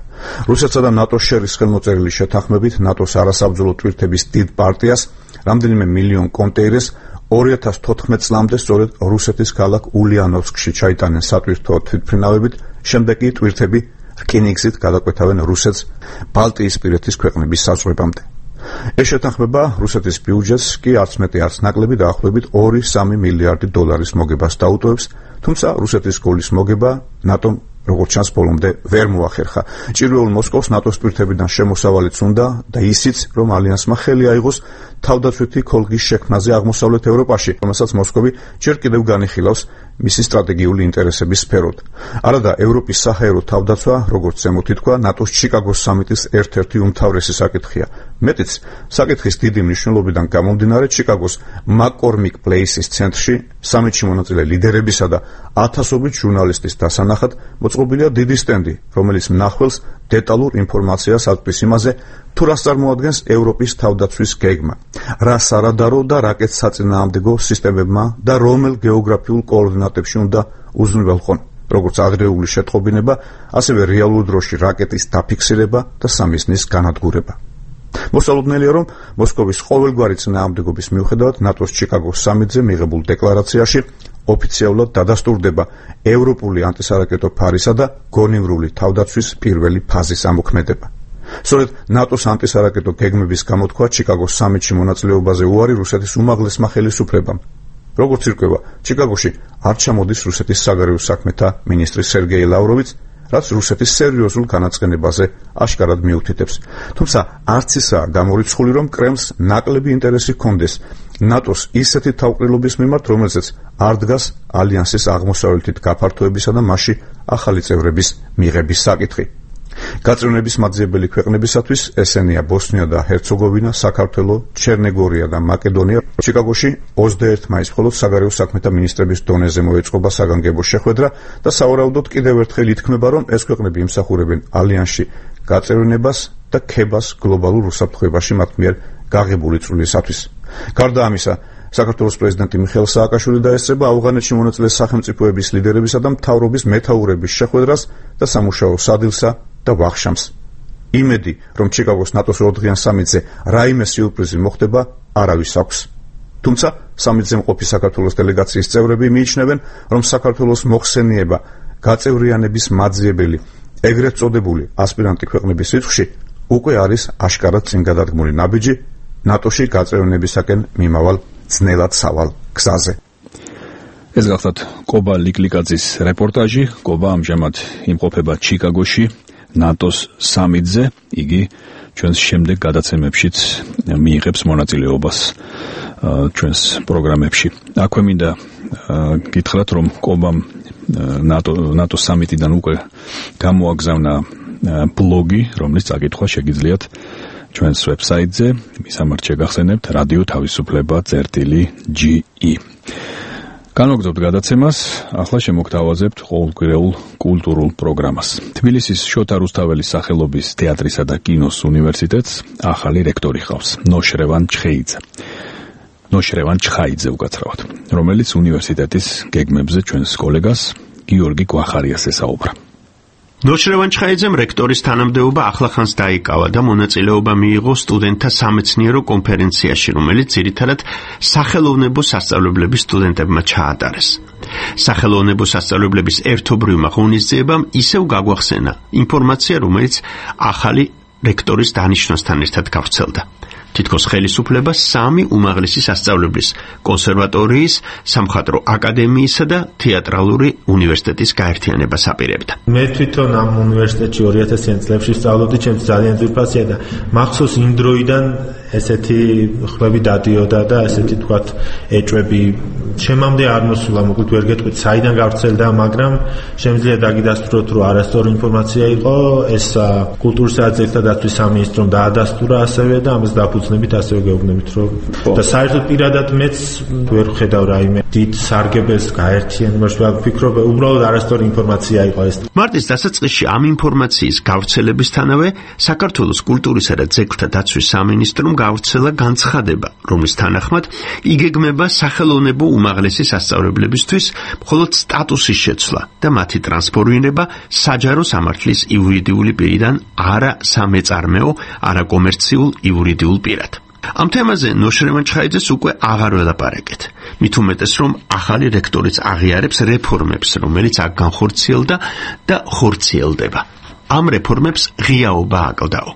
რუსეთსა და ნატოს შერის ხელმოწერილი შეთანხმებით ნატოს არასაბრძოლო ტვირთების დიდ პარტიას, რამდენიმე მილიონ კონტეინერს 2014 წლამდე სწორედ რუსეთის ქალაქ ულიანოვსკში ჩაიტანენ სატვირთო თვითმფრინავებით, შემდეგ კი ტვირთები რკინიგზით გადაკვეთავენ რუსეთს ბალტიისპირეთის ქვეყნების საზღვრებამდე. ეს შეთანხმება რუსეთის ბიუჯეტს კი არც მეტი არც ნაკლები დაახლოებით 2-3 მილიარდი დოლარის მოგებას დაუტოვებს, თუმცა რუსეთის გოლის მოგება ნატომ როგორც ჩანს ბოლომდე ვერ მოახერხა. ჭირვეულ მოსკოვს ნატოს პირთებიდან შემოსავალიც უნდა და ისიც, რომ ალიანსმა ხელი აიღოს თავდაცვითი ქოლგის შექმნაზე აღმოსავლეთ ევროპაში, რომელსაც მოსკოვი ჯერ კიდევ განიხილავს მისი სტრატეგიული ინტერესების სფეროდ. არადა ევროპის საჰაერო თავდაცვა, როგორც ზემოთ ითქვა, ნატოს ჩიკაგოს სამიტის ერთ-ერთი უმთავრესი საკითხია. მეტიც, საკითხის დიდი მნიშვნელობიდან გამომდინარე, ჩიკაგოს მაკკორმიკ პლეისის ცენტრში სამიტში მონაწილე ლიდერებისა და ათასობით ჟურნალისტის დასანახად მოწყობილია დიდი სტენდი, რომელიც მნახველს დეტალურ ინფორმაციას აწვდის იმაზე, თუ რას წარმოადგენს ევროპის თავდაცვის გეგმა, რა სარადარო და რაკეტ საწინააღმდეგო სისტემებმა და რომელ გეოგრაფიულ კოორდინატებში უნდა უზრუნველყონ, როგორც ადრეული შეტყობინება, ასევე რეალურ დროში რაკეტის დაფიქსირება და სამიზნის განადგურება. მოსალოდნელია, რომ მოსკოვის ყოველგვარი წინააღმდეგობის მიუხედავად ნატოს ჩიკაგოს სამიტზე მიღებულ დეკლარაციაში ოფიციალურად დადასტურდება ევროპული ანტისარაკეტო ფარისა და გონივრული თავდაცვის პირველი ფაზის ამოქმედება. სწორედ ნატოს ანტისარაკეტო გეგმების გამოთქვა ჩიკაგოს სამიტში მონაწილეობაზე უარი რუსეთის უმაღლესმა ხელისუფლებამ. როგორც ირკვევა, ჩიკაგოში არ ჩამოდის რუსეთის საგარეო საქმეთა მინისტრი სერგეი ლავროვიც, რაც რუსეთის სერიოზულ განაცხენებაზე აშკარად მიუთითებს. თუმცა არც ისაა გამორიცხული, რომ კრემლს ნაკლები ინტერესი ჰქონდეს ნატოს ისეთი თავყრილობის მიმართ, რომელზეც არ დგას ალიანსის აღმოსავლეთით გაფართოებისა და მასში ახალი წევრების მიღების საკითხი. გაწევნების მაძიებელი ქვეყნებისათვის ესენია ბოსნია და ჰერცეგოვინა, საქართველო, ჩერნეგორია და მაკედონია. ჩიკაგოში 21 მაისს მხოლოდ საგარეო საქმეთა მინისტრების დონეზე მოეწყობა საგანგებო შეხვედრა და სავარაუდოდ კიდევ ერთხელ ითქმება, რომ ეს ქვეყნები იმსახურებენ ალიანსში გაწევნებას და ქებას გლობალურ უსაფრთხოებაში მათ მიერ გაღებული წვლილისათვის. გარდა ამისა, საქართველოს პრეზიდენტი მიხეილ სააკაშვილი დაესწრება ავღანეთში მონაწილე სახელმწიფოების ლიდერებისა და მთავრობის მეთაურების შეხვედრას და სამუშაო სადილსა და ვახშამს. იმედი, რომ ჩიკაგოს ნატოს 2-დღიან სამიტზე რაიმე სიურპრიზი მოხდება, არავის აქვს. თუმცა სამიტზე მყოფი საქართველოს დელეგაციის წევრები მიიჩნევენ, რომ საქართველოს მოხსენიება გაწევრიანების მაძიებელი, ეგრეთ წოდებული ასპირანტი ქვეყნების რიცხვში უკვე არის აშკარად წინგადადგმული ნაბიჯი ნატოში გაწევრიანებისაკენ მიმავალ ძნელად სავალ გზაზე. ეს გახლავთ კობა ლიკლიკაძის რეპორტაჟი. კობა ამჟამად იმყოფება ჩიკაგოში ნატოს სამიტზე. იგი ჩვენს შემდეგ გადაცემებშიც მიიღებს მონაწილეობას ჩვენს პროგრამებში. აქვე მინდა გითხრათ, რომ კობამ ნატოს სამიტიდან უკვე გამოაგზავნა ბლოგი, რომლის წაკითხვა შეგიძლიათ ჩვენს ვებსაიტზე. მისამართ შეგახსენებთ რადიო თავისუფლება.ge. განვაგრძობთ გადაცემას, ახლა შემოგთავაზებთ ყოველკვირეულ კულტურულ პროგრამას. თბილისის შოთა რუსთაველის სახელობის თეატრისა და კინოს უნივერსიტეტს ახალი რექტორი ჰყავს, ნოშრევან ჩხაიძე უკაცრავად, რომელიც უნივერსიტეტის გეგმებზე ჩვენს კოლეგას გიორგი გვახარიას ესაუბრა. ნოშრევან ჩხაიძემ რექტორის თანამდებობა ახლახანს დაიკავა და მონაწილეობა მიიღო სტუდენტთა სამეცნიერო კონფერენციაში, რომელიც ძირითადად სახელოვნებო სასწავლებლების სტუდენტებმა ჩაატარეს. სახელოვნებო სასწავლებლების ერთობრივმა ღონისძიებამ ისევ გაგვახსენა ინფორმაცია, რომელიც ახალი რექტორის დანიშვნასთან ერთად გავრცელდა. თითქოს ხელისუფლება 3 უმაღლესი სასწავლებლის კონსერვატორიის, სამხატვრო აკადემიისა და თეატრალური უნივერსიტეტის გაერთიანებას აპირებდა. მე თვითონ ამ უნივერსიტეტში 2000-იან წლებში სწავლობდი, ჩემს ძალიან ძვირფასია და მახსოვს იმ დროიდან ესეთი ხმები დადიოდა და ესეთი თქვათ ეჭვები შემამდე არ მოსულა, მოკლედ ვერ გეტყვით საიდან გავრცელდა, მაგრამ შემიძლია დაგიდასტუროთ, რომ არასწორი ინფორმაცია იყო, ეს კულტურის და ძეგლთა დაცვის სამინისტრომ დაადასტურა ასევე და ამას დაფუძნებით ასევე გეუბნებით, რომ და საერთოდ პირადად მეც ვერ ხედავ რაიმე დიდ სარგებელს გაერთიანებაში, ვფიქრობ, უბრალოდ არასწორი ინფორმაცია იყო ეს. მარტის დასაწყისში ამ ინფორმაციის გავრცელებისთანავე საქართველოს კულტურისა და ძეგლთა დაცვის სამინისტრომ გავრცელა განცხადება, რომლის თანახმად იგეგმება სახელოვნებო უმაღლესი სასწავლებლებისთვის მხოლოდ სტატუსის შეცვლა და მათი ტრანსფორმირება საჯარო სამართლის იურიდიული პირიდან არა სამეწარმეო, არა კომერციულ იურიდიულ პირად. ამ თემაზე ნოშრევან ჩხაიძეს უკვე აღარ ველაპარაკეთ. მით უმეტეს, რომ ახალი რექტორიც აღიარებს რეფორმებს, რომელიც აქ განხორციელდა და ხორციელდება. ამ რეფორმებს ღიაობა აკლდაო.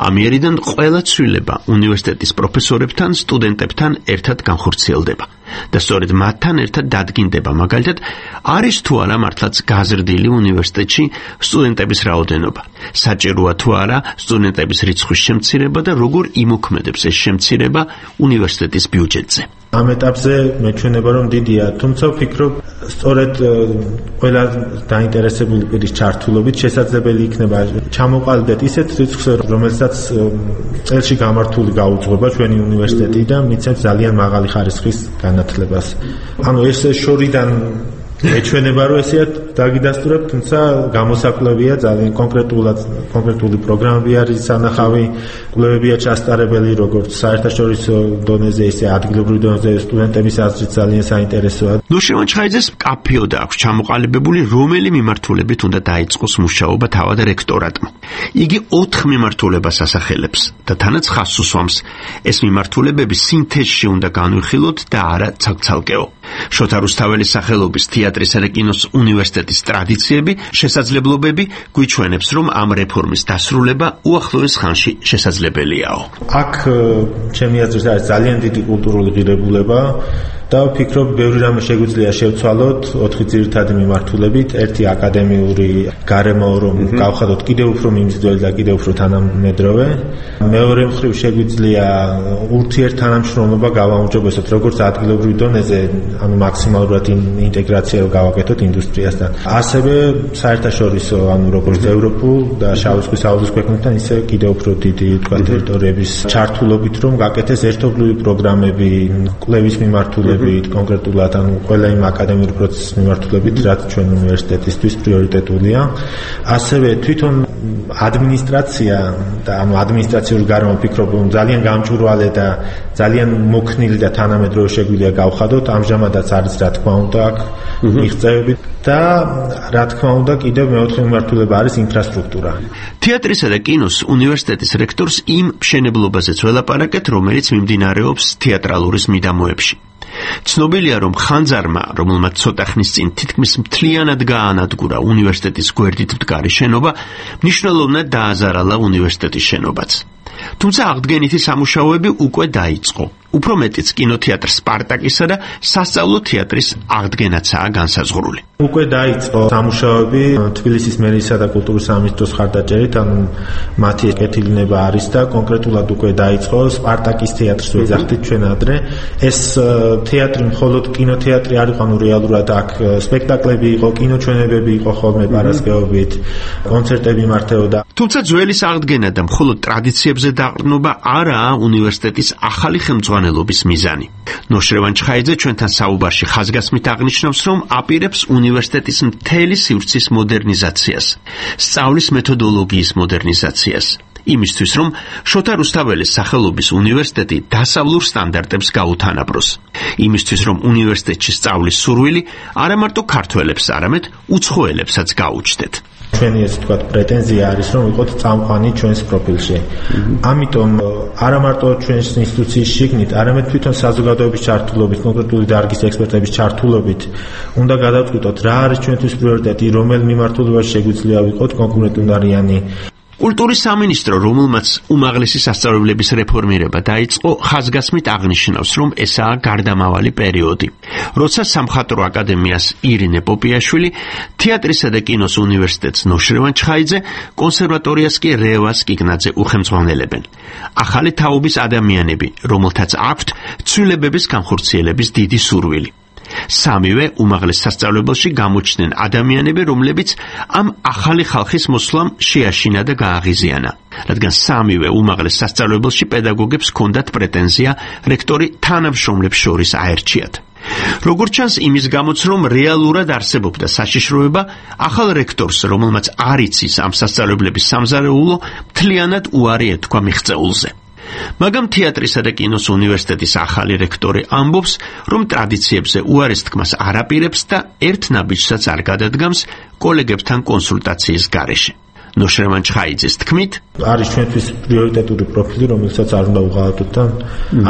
ამიერიდან ყველა ცვლილება უნივერსიტეტის პროფესორებთან, სტუდენტებთან ერთად განხორციელდება. და სწორედ მათთან ერთად დადგინდება მაგალითად არის თუ არა მართლაც გაზრდილი უნივერსიტეტში სტუდენტების რაოდენობა, საჭიროა თუ არა სტუდენტების რიცხვის შემცირება და როგორ იმოქმედებს ეს შემცირება უნივერსიტეტის ბიუჯეტზე. ამ ეტაპზე მეჩვენება რომ დიდია, თუმცა ვფიქრობ სწორედ ყველა დაინტერესებული პირის ჩართულობით შესაძლებელი იქნება ჩამოყალიბდეთ ისეთ რიცხვს, რომელსაც წელში გამართული გაუძღვება ჩვენი უნივერსიტეტი და მიცემს ძალიან მაღალი ხარისხის განათლებას. ანუ ეს შორიდან ეჩვენება რომ ესეა დაგიდასტურებ, თუმცა გამოსაკვლევია ძალიან კონკრეტული პროგრამები არის სანახავი, კვლევებია ჩასტარებელი, როგორც საერთაშორისო დონეზე, ისე ადგილობრივ დონეზე სტუდენტების აზრით ძალიან საინტერესოა. ნუშევან ჩხაიძეს მკაფიოდ აქვს ჩამოყალიბებული, რომელი მიმართულებით უნდა დაიწყოს მუშაობა თავად რექტორატმა. იგი 4 მიმართულებას ასახელებს და თანაც ხაზს უსვამს. ეს მიმართულებები სინთეზში უნდა განვიხილოთ და არა ცალკეო. შოთა რუსთაველის სახელობის თეატრისა და კინოს უნივერსიტეტის ტრადიციები, შესაძლებლობები გვიჩვენებს, რომ ამ რეფორმის დასრულება უახლოეს ხანში შესაძლებელიაო. აქ ჩემი აზრით არის ძალიან დიდი კულტურული ღირებულება და ვფიქრობ, ბევრი რამე შეგვიძლია შევცვალოთ 4 ძირითადი მიმართულებით. ერთი აკადემიური გარემო, რომ გავხადოთ კიდევ უფრო მიმზიდველი და კიდევ უფრო თანამედროვე. მეორე მხრივ შეგვიძლია ურთიერთთანამშრომლობა გავაუმჯობესოთ როგორც ადგილობრივ დონეზე, ანუ მაქსიმალურად ინტეგრაცია გავაკეთოთ ინდუსტრიასთან. ასევე საერთაშორისო, ანუ როგორც ევროპულ და შავი ზღვის აუზის ქვეყნებთან, ისე კიდევ უფრო დიდი ტერიტორიების ჩართულობით, რომ გაკეთდეს ერთობლივი პროგრამები, კვლევის მიმართულებით, კონკრეტულად ანუ ყველა იმ აკადემიური პროცესის მიმართულებით, რაც ჩვენ უნივერსიტეტისთვის პრიორიტეტულია. ასევე თვითონ ადმინისტრაცია და ანუ ადმინისტრაციული გარემო ვფიქრობ, რომ ძალიან გამჭვირვალე და ძალიან მოქნილი და თანამედროვე შეგვიძლია გავხადოთ. ამჟამადაც არის რა თქმა უნდა აქ მიღწევები და რა თქმა უნდა კიდევ მეოთხე მიმართულება არის ინფრასტრუქტურა. თეატრისა და კინოს უნივერსიტეტის რექტორს იმ მშენებლობაზეც ველაპარაკეთ, რომელიც მიმდინარეობს თეატრალურის მიდამოებში. ცნობილია, რომ ხანძარმა, რომელმაც ცოტა ხნის წინ თითქმის მთლიანად გაანადგურა უნივერსიტეტის გვერდით მდგარი შენობა, მნიშვნელოვნად დააზარალა უნივერსიტეტის შენობაც. თუმცა აღდგენითი სამუშაოები უკვე დაიწყო. უფრო მეტიც კინოთეატრ სპარტაკისა და სასწავლო თეატრის აღდგენაცაა განსაზღვრული. უკვე დაიწყო სამუშაოები თბილისის მერიისა და კულტურის სამინისტროს მხარდაჭერით, ანუ მათი კეთილინება არის და კონკრეტულად უკვე დაიწყო სპარტაკის თეატრს ვეძახდით ჩვენ ადრე. ეს თეატრი მხოლოდ კინოთეატრი არ იყო, ანუ რეალურად აქ სპექტაკლები იყო, კინოჩვენებები იყო ხოლმე პარასკევობით, კონცერტები მართავდა. თუმცა ძველის აღდგენა და მხოლოდ ტრადიციებზე დაყრდნობა არაა უნივერსიტეტის ახალი ხელმძღვანელობის მიზანი. ნოშრევან ჩხაიძე ჩვენთან საუბარში ხაზგასმით აღნიშნავს, რომ აპირებს უნივერსიტეტის მთელი სივრცის მოდერნიზაციას, სწავლის მეთოდოლოგიის მოდერნიზაციას. იმისთვის, რომ შოთა რუსთაველის სახელობის უნივერსიტეტი დასავლურ სტანდარტებს გაუთანაბროს. იმისთვის, რომ უნივერსიტეტში სწავლის სურვილი არა მარტო ქართველებს, არამედ უცხოელებსაც გაუჩნდეთ. ჩვენი ესე თქვა პრეტენზია არის, რომ ვიყოთ წამყვანი ჩვენს პროფილში. ამიტომ არა მარტო ჩვენს ინსტიტუციის შიგნით, არამედ თვითონ საზოგადოების ჩართულობით, კონკრეტული დარგის ექსპერტების ჩართულობით უნდა გადავწყვიტოთ, რა არის ჩვენთვის პრიორიტეტი, რომელ მიმართულებაში შეგვიძლია ვიყოთ კონკურენტუნარიანი. კულტურის სამინისტრო, რომელმაც უმაღლესი სასწავლებლების რეფორმირება დაიწყო, ხაზგასმით აღნიშნავს, რომ ესაა გარდამავალი პერიოდი, როცა სამხატვრო აკადემიას ირინე პოპიაშვილი, თეატრისა და კინოს უნივერსიტეტს ნოშრევან ჩხაიძე, კონსერვატორიას კი რევას კიკნაძე უხელმძღვანელებენ. ახალი თაობის ადამიანები, რომელთაც აქვთ ცვლილებების განხორციელების დიდი სურვილი. სამივე უმაღლეს სასწავლებელში გამოჩნდნენ ადამიანები, რომლებიც ამ ახალი ხალხის მოსვლამ შეაშინა და გააღიზიანა, რადგან სამივე უმაღლეს სასწავლებელში პედაგოგებს ჰქონდათ პრეტენზია რექტორი თანამშრომლებს შორის აერჩიათ. როგორც ჩანს, იმის გამოც, რომ რეალურად არსებობდა საშიშროება, ახალ რექტორს, რომელმაც არ იცის ამ სასწავლებლების სამზარეულო, მთლიანად უარი ეთქვა მიღწეულზე. მაგრამ თეატრისა და კინოს უნივერსიტეტის ახალი რექტორი ამბობს, რომ ტრადიციებზე უარის თქმას არ აპირებს და ერთ ნაბიჯსაც არ გადადგამს კოლეგებთან კონსულტაციის გარეშე. ნოშრევან ჩხაიძეს თქმით, არის ჩვენთვის პრიორიტეტული პროფილი, რომელსაც არ უნდა უღალატოთ და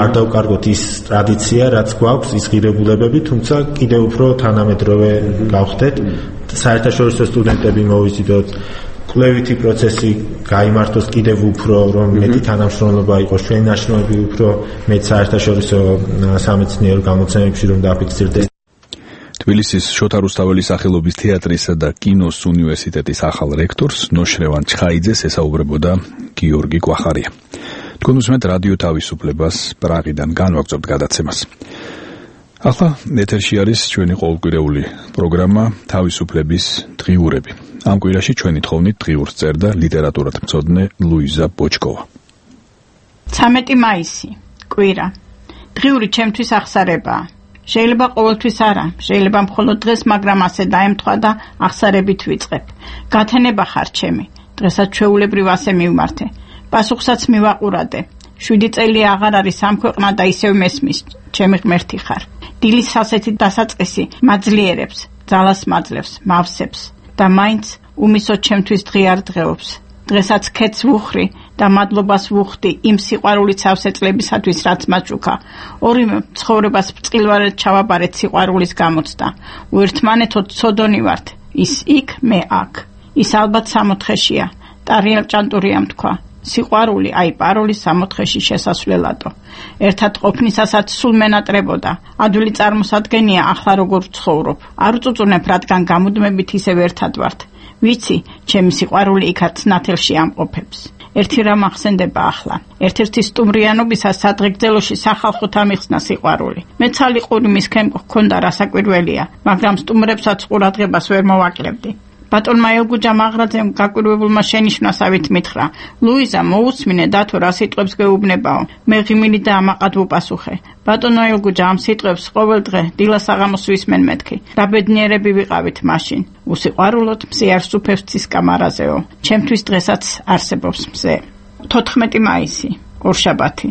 არ დავკარგოთ ის ტრადიცია, რაც გვაქვს, ის ღირებულებები, თუმცა კიდევ უფრო თანამედროვე გავხდეთ. საერთაშორისო სტუდენტები მოვიზიდოთ, კვლევითი პროცესი გაიმართოს კიდევ უფრო, რომ მეტი თანამშრომლობა იყოს ჩვენი ნაშრომები უფრო მეტ საერთაშორისო სამეცნიერო გამოცემებში რომ დაფიქსირდეს. თბილისის შოთა რუსთაველის სახელობის თეატრისა და კინოს უნივერსიტეტის ახალ რექტორს ნოშრევან ჩხაიძეს ესაუბრებოდა გიორგი კვახარია. თქვენ უსმენთ რადიო თავისუფლებას პრაღიდან განვაგრძობთ გადაცემას. ახლა ეთერში არის ჩვენი ყოველკვირეული პროგრამა თავისუფლების დღიურები. ამ კვირაში ჩვენი თხოვნით დღიურს წერდა ლიტერატურათმცოდნე ლუიზა ბოჩკოვა. 13 მაისი, კვირა. დღიური ჩემთვის აღსარებაა. შეიძლება ყოველთვის არა, შეიძლება მხოლოდ დღეს, მაგრამ ასე დაემთხვა და აღსარებით ვიწყებ. გათენება ხარ ჩემი, დღესაც ჩვეულებრივ ასე მივმართე. პასუხსაც მივაყურადე. 7 წელი აღარ არის ამ ქვეყნა და ისევ მესმის, ჩემი ღმერთი ხარ. დილის ასეთი დასაწყისი მაძლიერებს, ძალას მაძლევს, მავსებს და მაინც უმისოდ ჩემთვის დღე არ დღეობს. დღესაც ქეთს ვუხრი და მადლობას ვუხდი იმ სიყვარულით სავსე წლებისათვის, რაც მაჩუქა. ორივე ცხოვრებას ბრწყილვარად ჩავაბარეთ სიყვარულის გამოცდა. უერთმანეთოდ ცოდონი ვართ, ის იქ, მე აქ. ის ალბათ სამოთხეშია. ტარიელ ჭანტურიამ თქვა. სიყვარული, აი პაროლის სამოთხეში შესასვლელადო. ერთად ყოფნისასაც სულ მენატრებოდა. ადვილი წარმოსადგენია ახლა როგორ ვცხოვრობ. არ უწუწუნებ, რადგან გამუდმებით ისევ ერთად ვართ. ვიცი, ჩემი სიყვარული იქაც ნათელში ამყოფებს. ერთი რამ ახსენდება ახლა. ერთ-ერთი სტუმრიანობისას სადღეგრძელოში სახალხოდ ამიხსნა სიყვარული. მე ცალიყური მისქენ გქონდა რასაკვირველია, მაგრამ სტუმრებსაც ყურადღებას ვერ მოვაკლებდი. ბატონმა ელგუჯამ აღრაძემ გაკვირვებულმა შენიშვნასავით მითხრა: ლუიზა, მოусმინე დათო რა სიტყვებს გეუბნებაო. მე ღიმილი და ამაყად ვუპასუხე. ბატონო ელგუჯა, ამ სიტყვებს ყოველ დღე დილას აღამოს ვისმენ მეთქი. რა ბედნიერები ვიყავით მაშინ. უსიყვარულოდ მზე არ სუფევს ცისკამარაზეო. ჩემთვის დღესაც არსებობს მზე. 14 მაისი, ორშაბათი.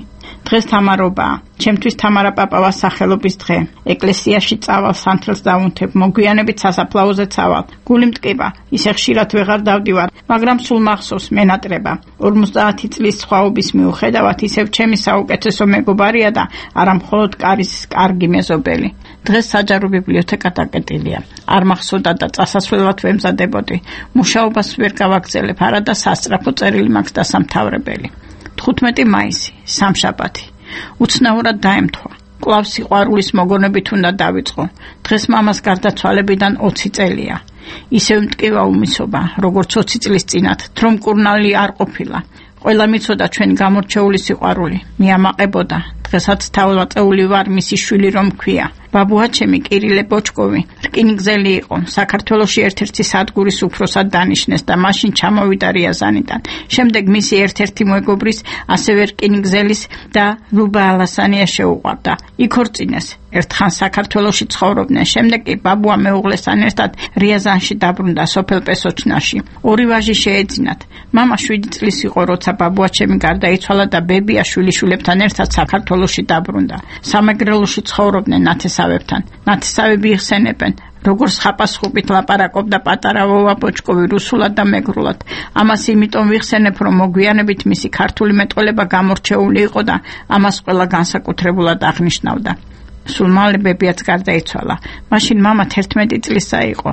დღეს თამარობაა. ჩემთვის თამარა პაპავას სახელობის დღე. ეკლესიაში წავალ, სანთელს დავუნთებ, მოგვიანებით სასაფლაოზე წავალ. გული მტკივა, ისე ხშირად ვეღარ დავდივარ, მაგრამ სულ მახსოვს მენატრება. 50 წლის სხვაობის მიუხედავად ისევ ჩემი საუკეთესო მეგობარია და არა მხოლოდ კარის კარგი მეზობელი. დღეს საჯარო ბიბლიოთეკა დაკეტილია. არ მახსოვდა და წასასვლელად ვემზადებოდი. მუშაობას ვერ გავაგრძელებ, არა და სასწრაფო წერილი მაქვს დასამთავრებელი. 15 მაისი, სამშაბათი. უცნაურად დაემთხვა. კვლავ სიყვარულის მოგონებით უნდა დავიწყო. დღეს მამას გარდაცვალებიდან 20 წელია. ისევ მტკივა უმისობა, როგორც 20 წლის წინათ, თრომ კურნალი არ ყოფილა. ყველა მიცოდა ჩვენ გამორჩეული სიყვარული. მიამაყებოდა. დღესაც თავლაწეული ვარ მისი შვილი რომ ქვია. ბაბუაჩემი კირილე ბოჩკოვი რკინიგზელი იყო. საქართველოში ერთ-ერთი სადგურის უფროსად დანიშნეს და მაშინ ჩამოვიდა რიაზანიდან. შემდეგ მისი ერთ-ერთი მეგობრის, ასევე რკინიგზელის და ლუბა ალასანია შეუყვარდა. იქ ორწინეს. ერთხან საქართველოში ცხოვრობდნენ. შემდეგ კი ბაბუა მეუღლესთან ერთად რიაზანში დაბრუნდა სოფელ პესოჩნაში. ორი ვაჟი შეეძინათ. მამა 7 წლის იყო, როცა ბაბუაჩემი გარდაიცვალა და ბებია შვილიშვილებთან ერთად საქართველოში დაბრუნდა. სამეგრელოში ცხოვრობდნენ ნათესავებთან. ნათესავები იხსენებენ, როგორც ხაპასხუპით ლაპარაკობდა პატარა ვოვა ბოჩკოვი რუსულად და მეგრულად. ამას იმიტომ ვიხსენებ, რომ მოგვიანებით მისი ქართული მეტყველება გამორჩეული იყო და ამას ყველა განსაკუთრებულად აღნიშნავდა. სულ მალე ბებიაც გარდაიცვალა. მაშინ მამა 11 წლისა იყო.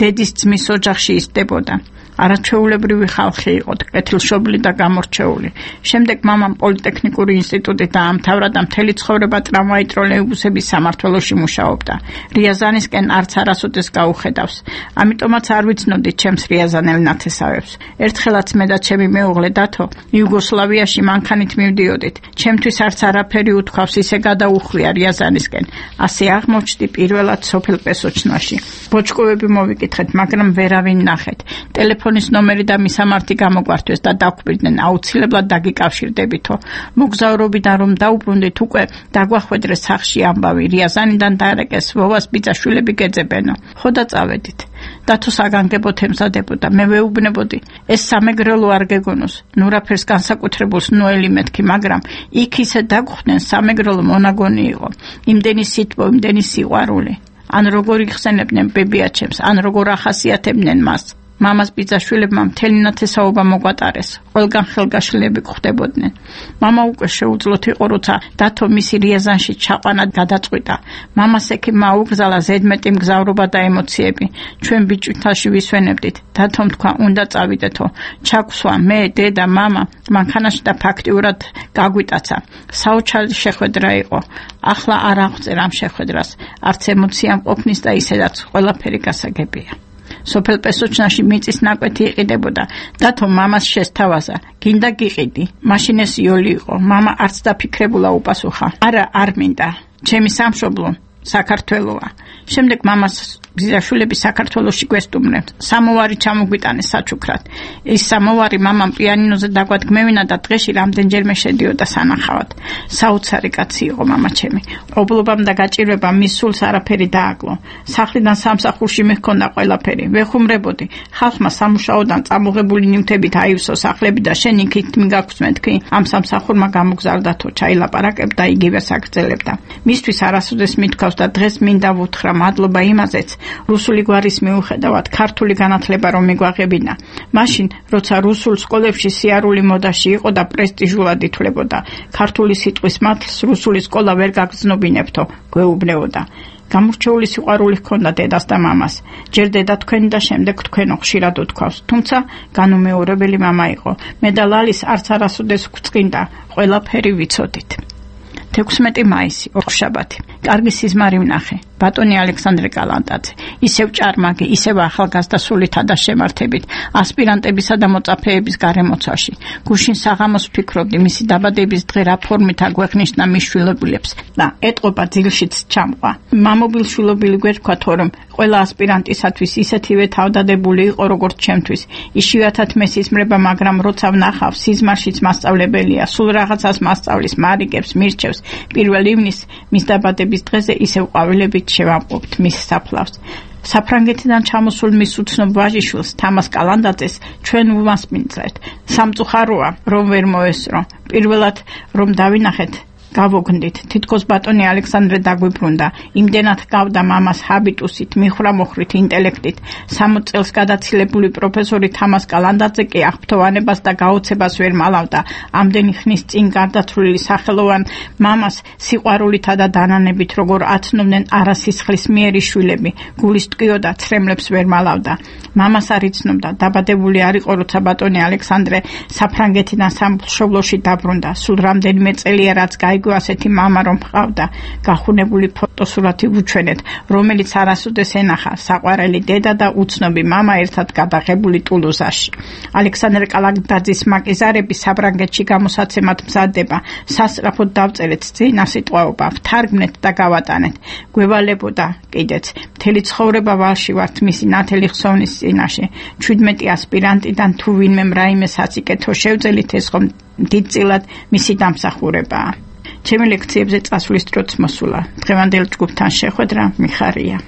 დედის ძმის ოჯახში ისდებოდა. არაჩვეულებრივი ხალხი იყო, კეთილშობილი და გამორჩეული. შემდეგ მამამ პოლიტექნიკური ინსტიტუტი დაამთავრა და მთელი ცხოვრება ტრამვაი ტროლეიბუსების სამმართველოში მუშაობდა. რიაზანისკენ არც არასოდეს გაუხედავს. ამიტომაც არ ვიცნობდი ჩემს რიაზანელ ნათესავებს. ერთხელაც მე და ჩემი მეუღლე დათო იუგოსლავიაში მანქანით მივდიოდით. ჩემთვის არც არაფერი უთქვავს, ისე გადაუხვია რიაზანისკენ. ასე აღმოჩნდი პირველად სოფელ პესოჩნაში. ბოჩკოვები მოვიკითხეთ, მაგრამ ვერავინ ნახეთ. ტელეფონის ნომერი და მისამართი გამოგვართვეს და დაგვირდნენ, აუცილებლად დაგიკავშირდებითო. მოგზაურობიდან რომ დაუბრუნდით, უკვე დაგვახვედრეს სახში ამბავი, რიაზანიდან დაარეკეს, ვოვას ბიძაშვილები გეძებენო. ხო და წავედით. დათო საგანგებოდ ემზადებოდა. მე ვეუბნებოდი, ეს სამეგრელო არ გეგონოს. ნურაფერს განსაკუთრებულს ნოელი მეთქი, მაგრამ იქ ისე დაგხვდნენ, სამეგრელო მონაგონი იყო. იმდენი სიტყვა, იმდენი სიყვარული. ან როგორ იხსენებდნენ ბებიაჩემს, ან როგორ ახასიათებდნენ მას. მამას ბიძაშვილებმა მთელი ნათესაობა მოგვატარეს. ყველგან ხელგაშლილები გვხვდებოდნენ. მამა უკვე შეუძლოთ იყო, როცა დათო მისი რიაზანში ჩაყვანა გადაწყვიტა. მამას ექიმმა აუგზალა ზედმეტი მგზავრობა და ემოციები. ჩვენ ბიჭვითაში ვისვენებდით. დათომ თქვა, უნდა წავიდეთო. ჩაგვსვა მე, დედა, მამა, მანქანაში და ფაქტიურად გაგვიტაცა. საოცარი შეხვედრა იყო. ახლა არ აღწერ ამ შეხვედრას. არც ემოცია მყოფნის და ისედაც ყველაფერი გასაგებია. სოფელ პესოჩნაში მიწის ნაკვეთი იყიდებოდა. დათო მამას შესთავაზა. გინდა გიყიდი. მაშინ ეს იოლი იყო. მამა არც დაფიქრებულა უპასუხა. არა, არ მინდა. ჩემი სამშობლო საქართველოა. შემდეგ მამას ბიძაშვილები საქართველოში გვესტუმრებთ. სამოვარი ჩამოგვიტანეს საჩუქრად. ეს სამოვარი მამამ პიანინოზე დაგვადგმევინა და დღეში რამდენჯერმე შედიოდა სანახავად. საოცარი კაცი იყო მამა ჩემი. ობლობამ და გაჭირვებამ მის სულს არაფერი დააკლო. სახლიდან სამსახურში მე ჰქონდა ყველაფერი. ვეხუმრებოდი. ხალხმა სამუშაოდან წამოღებული ნივთებით აივსო სახლები და შენ იქით მიგაქვს მეთქი. ამ სამსახურმა გამოგზავრდათო, ჩაილაპარაკებდა, იგივე საგრძელებდა. მისთვის არასოდეს მithქვავს და დღეს მინდა ვუთხრა მადლობა იმაზეც, რუსული გვარის მიუხედავად ქართული განათლება რომ მიგვაღებინა. მაშინ, როცა რუსულ სკოლებში სიარული მოდაში იყო და პრესტიჟულად ითვლებოდა, ქართული სიტყვის მართლს რუსული სკოლა ვერ გაგრძნობინებთო, გვეუბნებოდა. გამორჩეული სიყვარული ჰქონდა დედას და მამას. ჯერ დედა თქვენი და შემდეგ თქვენო ხშირად უთქვავს. თუმცა განუმეორებელი მამა იყო. მე და ლალის არც არასოდეს გვწყინდა, ყველაფერი ვიცოდით. 16 მაისი, ორშაბათი. კარგი სიზმარი ვნახე. ბატონი ალექსანდრე კალანდაძე, ისევ ჭარმაგი, ისევ ახალგაზრდა სულითა და შემართებით, ასპირანტებისა და მოწაფეების გარემოცვაში. გუშინ საღამოს ვფიქრობდი, მისი დაბადების დღე რა ფორმით აგვეღნიშნა მის შვილობილებს და ეტყობა ძილშიც ჩამყვა. მამობილ შვილობილი გვერქვა, თორემ ყველა ასპირანტისათვის ისეთივე თავდადებული იყო, როგორც ჩემთვის. იშვიათად მესიზმრება, მაგრამ როცა ვნახავ, სიზმარშიც მასწავლებელია, სულ რაღაცას მასწავლის, მარიგებს, მირჩევს. 1 ივნის მის დაბადების დღეზე ისევ ყვავილებით შევამყოფთ მის საფლავს. საფრანგეთიდან ჩამოსულ მის უცნობ ვაჟიშვილს, თამას კალანდაძეს, ჩვენ ვმასპინძლეთ. სამწუხაროა, რომ ვერ მოესწრო. პირველად რომ დავინახეთ, გავოგნდით. თითქოს ბატონი ალექსანდრე დაგვიბრუნდა. იმდენად გავდა მამას ჰაბიტუსით, მიხრამოხრით ინტელექტით. 60 წელს გადაცილებული პროფესორი თამას კალანდაძე კი აღფრთოვანებას და გაოცებას ვერ მალავდა. ამდენი ხნის წინ გარდაცვლილი სახელოვან მამას სიყვარულითა და დანანებით, როგორ აცნობდნენ არასისხლის მიერი შვილები, გულის ტკიოდა, ცრემლებს ვერ მალავდა. მამას არ იცნობდა, დაბადებული არ იყო, როცა ბატონი ალექსანდრე საფრანგეთიდან სამშობლოში დაბრუნდა. სულ რამდენიმე წელია, რაც გაიგო ასეთი მამა რომ ჰყავდა. გახუნებული ფოტოსურათი ვუჩვენეთ, რომელიც არასოდეს ენახა საყვარელი დედა და უცნობი მამა ერთად გადაღებული ტულუზაში. ალექსანდრე კალანდაძის მაკიზარები საფრანგეთში გამოსაცემად მზადდება. სასწრაფოდ დავწერეთ წინა სიტყვაობა, ვთარგმნეთ და გავატანეთ. გვევალებოდა კიდეც. მთელი ცხოვრება ვალში ვართ მისი ნათელი ხსოვნის წინაშე. 17 ასპირანტიდან თუ ვინმემ რაიმე საწიკეთო შევძელით, ეს ხომ დიდწილად მისი დამსახურებაა. ჩემი ლექციებზე წასვლის დროც მოსულა. დღევანდელ ჯგუფთან შეხვედრა მიხარია.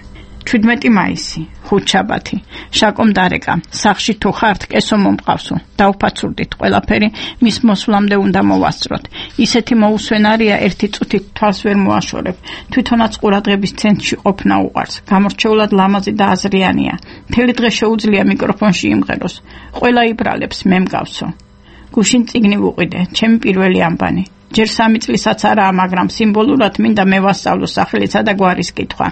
17 მაისი, ხუთშაბათი. შაკომ დარეკა, სახში თუ ხართ, კესო მომყავსო. დავფაცურდით ყველაფერი, მის მოსვლამდე უნდა მოვასწროთ. ისეთი მოусვენარია, ერთი წუთით თვალს ვერ მოაშორებ. თვითონაც ყურადღების ცენტრში ყოფნა უყვარს. გამორჩეულად ლამაზი და აზრიანია. მთელი დღე შეუძლია მიკროფონში იმღეროს. ყველა იბრალებს, მე მგავსო. გუშინ წიგნი ვუყიდე, ჩემი პირველი ამბანი. ჯერ 3 წლისაც არაა, მაგრამ სიმბოლურად მინდა მე ვასწავლო სახელისა და გვარის კითხვა.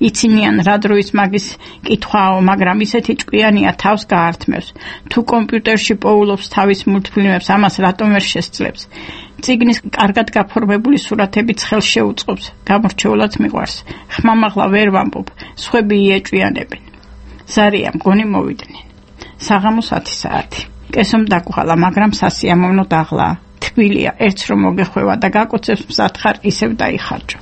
იცინიან რა დროის მაგის კითხვაო, მაგრამ ისეთი ჭკვიანია, თავს გაართმევს. თუ კომპიუტერში პოულობს თავის მულტფილმებს, ამას რატომ ვერ შესძლებს? წიგნის კარგად გაფორმებული სურათებიც ხელს შეუწყობს. გამორჩეულად მიყვარს. ხმამაღლა ვერ ვამბობ, სხვები იეჭვიანებენ. ზარია მგონი მოვიდნენ. საღამოს 10 საათი. კესომ დაგღალა, მაგრამ სასიამოვნო დაღლაა. თბილია, ერთს რომ მოგეხვევა და გაკოცებს მზადხარ, ისევ დაიხარჯო.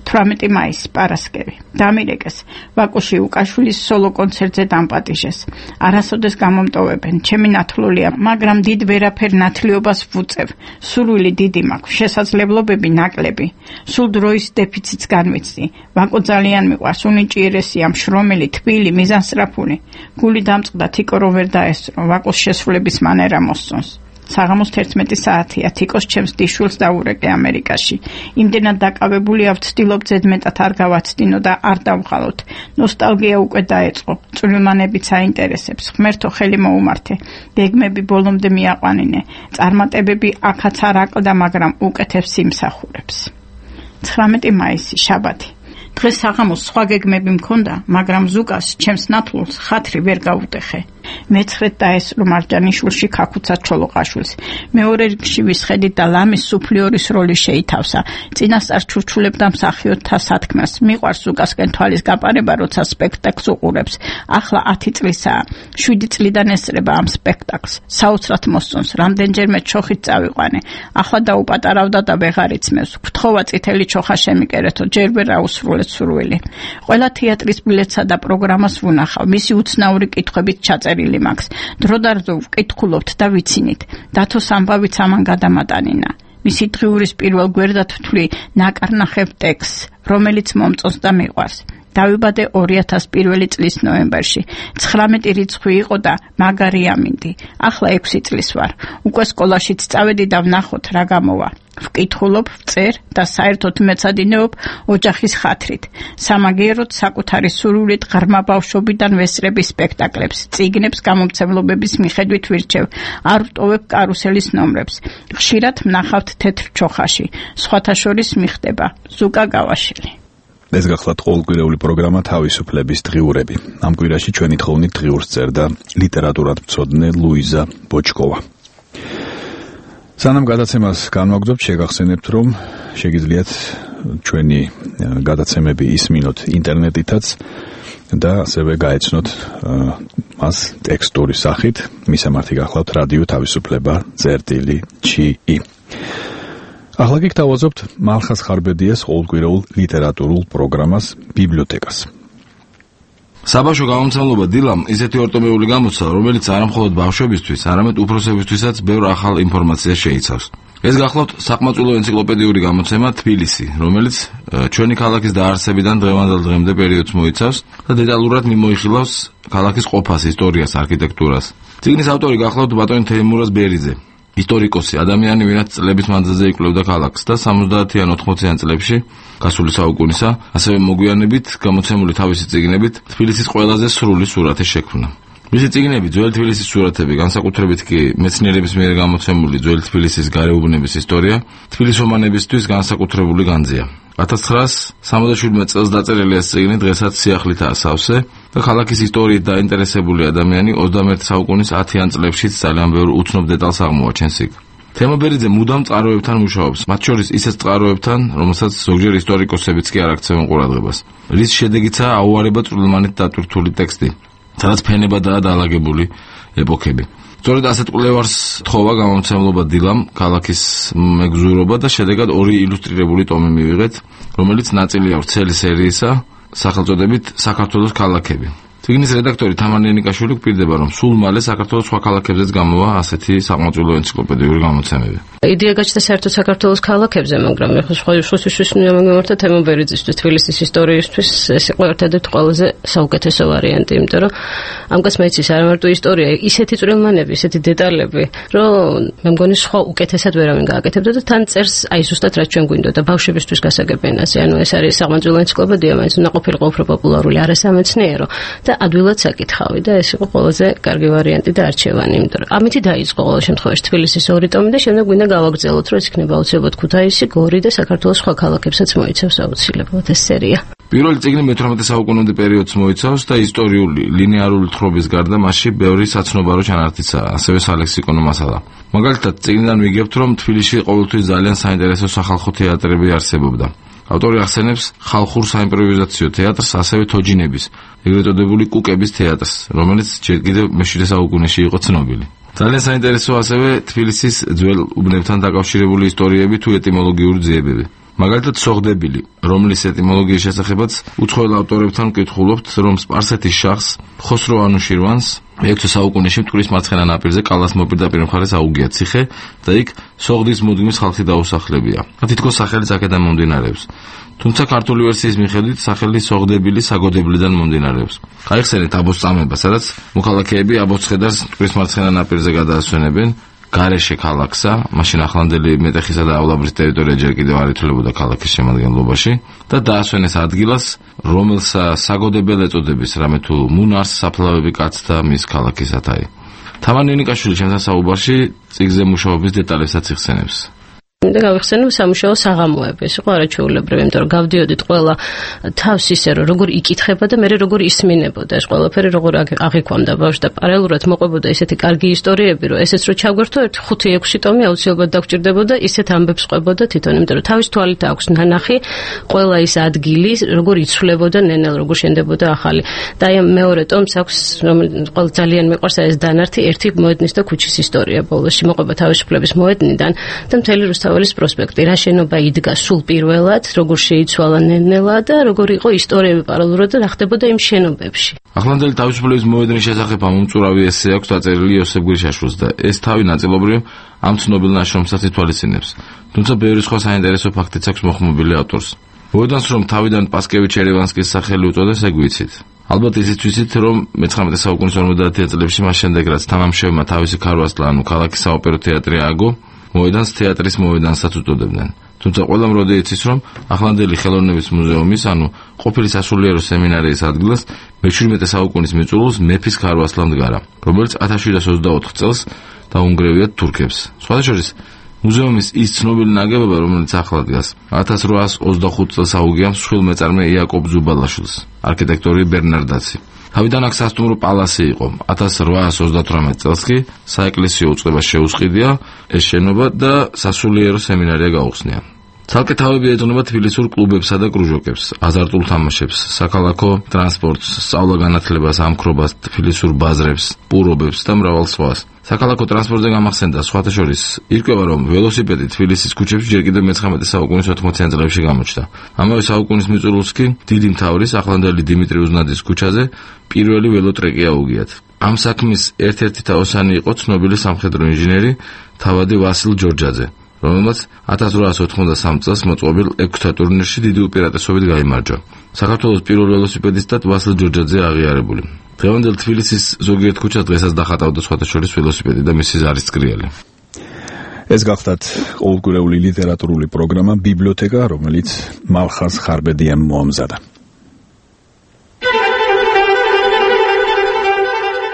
18 მაისი, პარასკევი. დამირეკეს, ვაკუში უკაშვილის სოლო კონცერტზე დამპატიჟეს. არასოდეს გამომტოვებენ, ჩემი ნათლულია, მაგრამ დიდ ვერაფერ ნათლიობას ვუწევ. სურვილი დიდი მაქვს, შესაძლებლობები ნაკლები. სულ დროის დეფიციტს განვიცდი. ვაკო ძალიან მიყვარს, უნიჭიერესია, მშრომელი, თბილი, მიზანსწრაფული. გული დამწყდა, თიკო რომ ვერ დაესწრო, ვაკოს შესრულების მანერა მოსწონს. საღამოს 11 საათია, თიკოს ჩემს დიშვილს დაურეკე ამერიკაში. იმდენად დაკავებული ავწtildeობ ზედმეტად არ გავაცდინო და არ დავხალოთ. ნოსტალგია უკვე დაეწყო. წვრილმანებიც აინტერესებს. ღმერთო ხელი მოუმართე. გეგმები ბოლომდე მიაყვანინე. წარმატებები აქაც არ აკლდა, მაგრამ უკეთებს იმსახურებს. 19 მაისი, შაბათი. დღეს საღამოს სხვა გეგმები მქონდა, მაგრამ ზუკას ჩემს ნათლულს ხათრი ვერ გაუტეხე. მეცხრედ დაესწრო მარჯანიშვილში ქაქუცა ჩოლოყაშვილს. მეორე რიგში ვისხედით და ლამის სუფლიორის როლი შეითავსა. წინასწარ ჩურჩულებდა მსახიობთა სათქმას. მიყვარს ზუკასკენ თვალის გაპარება, როცა სპექტაკლს უყურებს. ახლა 10 წლისაა. 7 წლიდან ესწრება ამ სპექტაკლს. საოცრად მოსწონს, რამდენჯერმე ჩოხით წავიყვანე. ახლა დაუპატარავდა და ვეღარ იცმევს. გთხოვა წითელი ჩოხა შემიკერეთო, ჯერ ვერ აუსრულეთ სურვილი. ყველა თეატრის ბილეთსა და პროგრამას ვუნახავ. მისი უცნაური კითხვებით ჩაწერილი მაქვს. დროდადრო ვკითხულობთ და ვიცინით. დათოს ამბავიც ამან გადამატანინა. მისი დღიურის პირველ გვერდად ვთვლი ნაკარნახებ ტექსტს, რომელიც მომწონს და მიყვარს. დავიბადე 2001 წლის ნოემბერში. 19 რიცხვი იყო და მაგარი ამინდი. ახლა 6 წლის ვარ. უკვე სკოლაშიც წავედი და ვნახოთ რა გამოვა. ვკითხულობ, ვწერ და საერთოდ მეცადინეობ ოჯახის ხათრით. სამაგიეროდ საკუთარი სურვილით ღრმა ბავშვობიდან ვესწრები სპექტაკლებს, წიგნებს გამომცემლობების მიხედვით ვირჩევ. არ ვტოვებ კარუსელის ნომრებს. ხშირად ვნახავთ თეთრ ჩოხაში. სხვათა შორის მიხდება ზუკა გავაშელი. ეს გახლავთ ყოველკვირეული პროგრამა თავისუფლების დღიურები. ამ კვირაში ჩვენი თხოვნით დღიურს წერდა ლიტერატურად მცოდნე ლუიზა ბოჩკოვა. სანამ გადაცემას განვაგრძობთ, შეგახსენებთ, რომ შეგიძლიათ ჩვენი გადაცემები ისმინოთ ინტერნეტითაც და ასევე გაეცნოთ მას ტექსტური სახით. მისამართი გახლავთ რადიო თავისუფლება წერტილი.chi. ახლა კი გთავაზობთ მალხას ხარბედიას ყოველკვირეულ ლიტერატურულ პროგრამას ბიბლიოთეკას. საბავშვო გამომცემლობა დილამ ისეთი ორტომეული გამოცდა, რომელიც არამხოლოდ ბავშვებისთვის, არამედ უფროსებისთვისაც ბევრ ახალ ინფორმაციას შეიცავს. ეს გახლავთ საყმაწვილო ენციკლოპედიური გამოცემა თბილისი, რომელიც ჩვენი ქალაქის დაარსებიდან დღევანდელ დღემდე პერიოდს მოიცავს და დეტალურად მიმოიხილავს ქალაქის ყოფას, ისტორიას, არქიტექტურას. წიგნის ავტორი გახლავთ ბატონი თეიმურაზ ბერიძე, ისტორიკოსი, ადამიანი, ვინაც წლების მანძილზე იკვლევდა ქალაქს და 70-იან 80-იან წლებში გასული საუკუნისა, ასევე მოგვიანებით გამოცემული თავისი წიგნებით თბილისის ყველაზე სრული სურათი შექმნა. მისი წიგნები, ძველი თბილისის სურათები, განსაკუთრებით კი მეცნიერების მიერ გამოცემული ძველი თბილისის გარეუბნების ისტორია, თბილისომანებისთვის განსაკუთრებული განძია. 1977 წელს დაწერილი ეს წიგნი დღესაც სიახლითაა სავსე და ქალაქის ისტორიით დაინტერესებული ადამიანი 21 საუკუნის 10-იან წლებშიც ძალიან ბევრ უცნობ დეტალს აღმოაჩენს იქ. თემობერიძე მუდამ წყაროებთან მუშაობს, მათ შორის ისეთ წყაროებთან, რომელსაც ზოგჯერ ისტორიკოსებიც კი არ აქცევენ ყურადღებას. რის შედეგიცაა აუარება წვრილმანით დატვირთული ტექსტი, სადაც ფენებადაა დაალაგებული ეპოქები. სწორედ ასეთ კვლევარს თხოვა გამომცემლობა დილამ ქალაქის მეგზურობა და შედეგად 2 ილუსტრირებული ტომი მივიღეთ, რომელიც ნაწილია ვრცელი სერიისა, სახელწოდებით საქართველოს ქალაქები. წიგნის რედაქტორი თამარ ნენიკაშვილი გვპირდება, რომ სულ მალე საქართველოს სხვა ქალაქებზეც გამოვა ასეთი საყმაწვილო ენციკლოპედიური გამოცემები. იდეა გაჩნდა საერთოდ საქართველოს ქალაქებზე, მაგრამ ეხლა სხვისთვის მიმართა თემობერიძისთვის, თბილისის ისტორიისთვის ეს იყო ერთადერთი ყველაზე საუკეთესო ვარიანტი, იმიტომ რომ ამას მეცის არ მარტო ისტორია, ისეთი წვრილმანები, ისეთი დეტალები, რომ მე მგონი სხვა უკეთესად ვერავინ გააკეთებდა და თან წერს აი ზუსტად რაც ჩვენ გვინდოდა ბავშვებისთვის გასაგებ ენაზე. ანუ ეს არის საყმაწვილო ენციკლოპედია, მაინც უნდა ყოფილიყო უფრო პოპულარული, არასამეცნიერო და ადვილად საკითხავი და ეს იყო ყველაზე კარგი ვარიანტი და არჩევანი, იმიტომ რომ ამითი დაიწყო ყოველ შემთხვევაში თბილისის 2 ტომი და შემდეგ გვინდა გავაგრძელოთ, რომ ეს იქნება აუცილებლად ქუთაისი, გორი და საქართველოს სხვა ქალაქებსაც მოიცავს აუცილებლად ეს სერია. პირველი წიგნი მე-18 საუკუნემდე პერიოდს მოიცავს და ისტორიული, ლინეარული თხრობის გარდა მასში ბევრი საცნობარო ჩანართიცაა, ასევე სალექსიკონო მასალა. მაგალითად, წიგნიდან ვიგებთ, რომ თბილისში ყოველთვის ძალიან საინტერესო სახალხო თეატრები არსებობდა. ავტორი ახსენებს ხალხურ საიმპროვიზაციო თეატრს, ასევე თოჯინების, ეგრეთ წოდებული კუკების თეატრს, რომელიც ჯერ კიდევ მე-7 საუკუნეში იყო ცნობილი. ძალიან საინტერესოა ასევე თბილისის ძველ უბნებთან დაკავშირებული ისტორიები თუ ეტიმოლოგიური ძიებები. მაგალითად, სოღდებილი, რომლის ეტიმოლოგიის შესახებაც უცხოელ ავტორებთან ვკითხულობთ, რომ სპარსეთის შახს ხოსრო ანუშირვანს მე-6 საუკუნეში მტკვრის მარცხენა ნაპირზე კალას მოპირდაპირ მხარეს აუგია ციხე და იქ სოღდის მუდმის ხალხი დაუსახლებია. თითქოს სახელიც აქედან მომდინარეობს. თუმცა ქართული ვერსიის მიხედვით სახელი სოღდებილი საგოდებლიდან მომდინარეობს. გაიხსენეთ აბოს წამება, სადაც მოქალაქეები აბოს ცხედარს მტკვრის მარცხენა ნაპირზე გადაასვენებენ, გარეშე ქალაქსა, მაშინ ახლანდელი მეტეხისა და ავლაბრის ტერიტორია ჯერ კიდევ არ ითვლებოდა ქალაქის შემადგენლობაში და დაასვენეს ადგილას, რომელსა საგოდებელ ეწოდების, რამე თუ მუნარს საფლავები კაცთა მის ქალაქის ათაი. თამარ ნინიკაშვილი ჩემთან საუბარში წიგნზე მუშაობის დეტალებსაც იხსენებს. და გავიხსენებ სამუშაო საღამოები, ეს იყო არაჩვეულებრივი, იმიტომ რომ გავდიოდით ყველა თავს ისე რომ როგორ იკითხება და მე როგორ ისმინებოდა ეს ყველაფერი, როგორ აღიქვამდა ბავშვს და პარალელურად მოყვებოდა ესეთი კარგი ისტორიები, რომ ესეც რო ჩაგვერთო 5-6 ტომი აუცილებლად დაგჭირდებოდა, ისეთ ამბებს ყვებოდა თვითონ, იმიტომ რომ თავის თვალით აქვს ნანახი ყველა ის ადგილი, როგორ იცვლებოდა ნენელ, როგორ შენდებოდა ახალი. და აი მეორე ტომს აქვს, რომელიც ძალიან მიყვარს ეს დანართი, ერთი მოედნის და ქუჩის ისტორია ბოლოსში მოყვება თავისუფლების მოედნიდან და მთელი რუსთაველის პროსპექტი, რა შენობა იდგა სულ პირველად, როგორ შეიცვალა ნენელა და როგორ იყო ისტორიები პარალელურად და რა ხდებოდა იმ შენობებში. ახლანდელი თავისუფლების მოედნის შესახებ ამომწურავი ესე აქვს დაწერილი იოსებ გვირშაშვილს და ეს თავი ნაწილობრივ ამ ცნობილ ნაშრომსაც ითვალისწინებს. თუმცა ბევრი სხვა საინტერესო ფაქტიც აქვს მოხმობილი ავტორს. მოედანს რომ თავიდან პასკევიჩ ერევანსკის სახელი უწოდეს, ეგ ვიცით. ალბათ ისიც ვიცით, რომ მე-19 საუკუნის 50-იან წლებში მას შემდეგ რაც თამამშევმა თავისი ქარვასლა, ანუ ქალაქის საოპერო თეატრი ააგო, მოედანს თეატრის მოედანსაც უწოდებდნენ. თუმცა ყველამ როდი იცის, რომ ახლანდელი ხელოვნების მუზეუმის, ანუ ყოფილი სასულიერო სემინარიის ადგილას მე-17 საუკუნის მიწურულს მეფის ქარვასლა მდგარა, რომელიც 1724 წელს დაუნგრევიათ თურქებს. სხვათა შორის მუზეუმის ის ცნობილი ნაგებობა, რომელიც ახლა დგას, 1825 წელს აუგია მსხვილ მეწარმე იაკობ ზუბალაშვილს, არქიტექტორი ბერნარ დაცი. თავიდან აქ სასტუმრო პალასი იყო. 1838 წელს კი საეკლესიო უწყება შეუსყიდია ეს შენობა და სასულიერო სემინარია გაუხსნია. ცალკე თავები ეძღვნება თბილისურ კლუბებსა და კრუჟოკებს, აზარტულ თამაშებს, საქალაქო ტრანსპორტს, სწავლა-განათლებას, ამქრობას, თბილისურ ბაზრებს, პურობებს და მრავალ სხვას. საქალაქო ტრანსპორტზე გამახსენდა სხვათა შორის ირკვევა, რომ ველოსიპედი თბილისის ქუჩებში ჯერ კიდევ მე-19 საუკუნის 80-იან წლებში გამოჩნდა. ამავე საუკუნის მიწურულს კი დიდი მთავრის ახლანდელი დიმიტრი უზნაძის ქუჩაზე პირველი ველოტრეკი აუგიათ. ამ საქმის ერთ-ერთი თაოსანი იყო ცნობილი სამხედრო ინჟინერი თავადი ვასილ ჯორჯაძე, რომელმაც 1893 წელს მოწყობილ ექვსთა ტურნირში დიდი უპირატესობით გაიმარჯვა. საქართველოს პირველ ველოსიპედისტად ვასილ ჯორჯაძე აღიარებული. დღევანდელ თბილისის ზოგიერთ ქუჩას დღესაც დახატავდა სხვათა შორის ველოსიპედი და მისი ზარისწრიელი. ეს გახლავთ ყოველკვირეული ლიტერატურული პროგრამა ბიბლიოთეკა, რომელიც მალხაზ ხარბედიამ მოამზადა.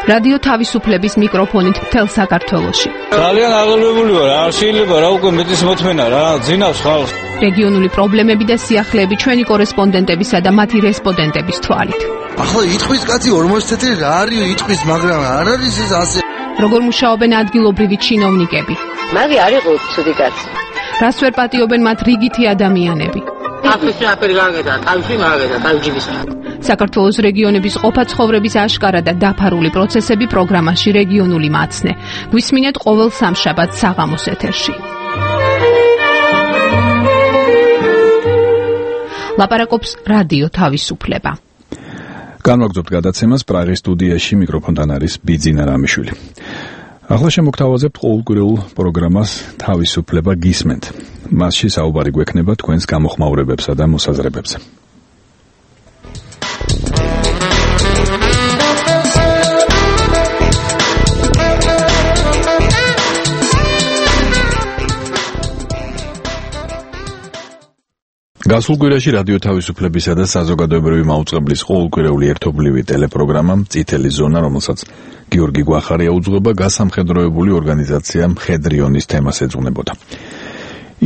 რადიო თავისუფლების მიკროფონით მთელ საქართველოში. ძალიან აღელვებული ვარ, არ შეიძლება რა უკვე მეტის მოთმენა რა, ძინავს ხალხს. რეგიონული პრობლემები და სიახლეები ჩვენი კორესპონდენტებისა და მათი რესპონდენტების თვალით. ახლა იტყვის კაცი 40 წელი რა არის იტყვის, მაგრამ არ არის ეს ასე. როგორ მუშაობენ ადგილობრივი ჩინოვნიკები? მაგი არ იყო ცუდი კაცი. რას ვერ პატიობენ მათ რიგითი ადამიანები? აფრიკა აფერი გაგედა, თავში მაგედა, თავჯიბის. საქართველოს რეგიონების ყოფა-ცხოვრების აშკარა და დაფარული პროცესები პროგრამაში რეგიონული მაცნე. გვისმინეთ ყოველ სამშაბათს საღამოს ეთერში. ლაპარაკობს რადიო თავისუფლება. განვაგრძობთ გადაცემას პრაღის სტუდიაში, მიკროფონთან არის ბიძინა რამიშვილი. ახლა შემოგთავაზებთ ყოველკვირეულ პროგრამას თავისუფლება გისმენთ. მასში საუბარი გვექნება თქვენს გამოხმაურებებსა და მოსაზრებებზე. გასულ კვირაში რადიო თავისუფლებისა და საზოგადოებრივი მაუწყებლის ყოველკვირეული ერთობლივი ტელეპროგრამა წითელი ზონა, რომელსაც გიორგი გვახარია უძღვება, გასამხედროებული ორგანიზაცია მხედრიონის თემას ეძღვნებოდა.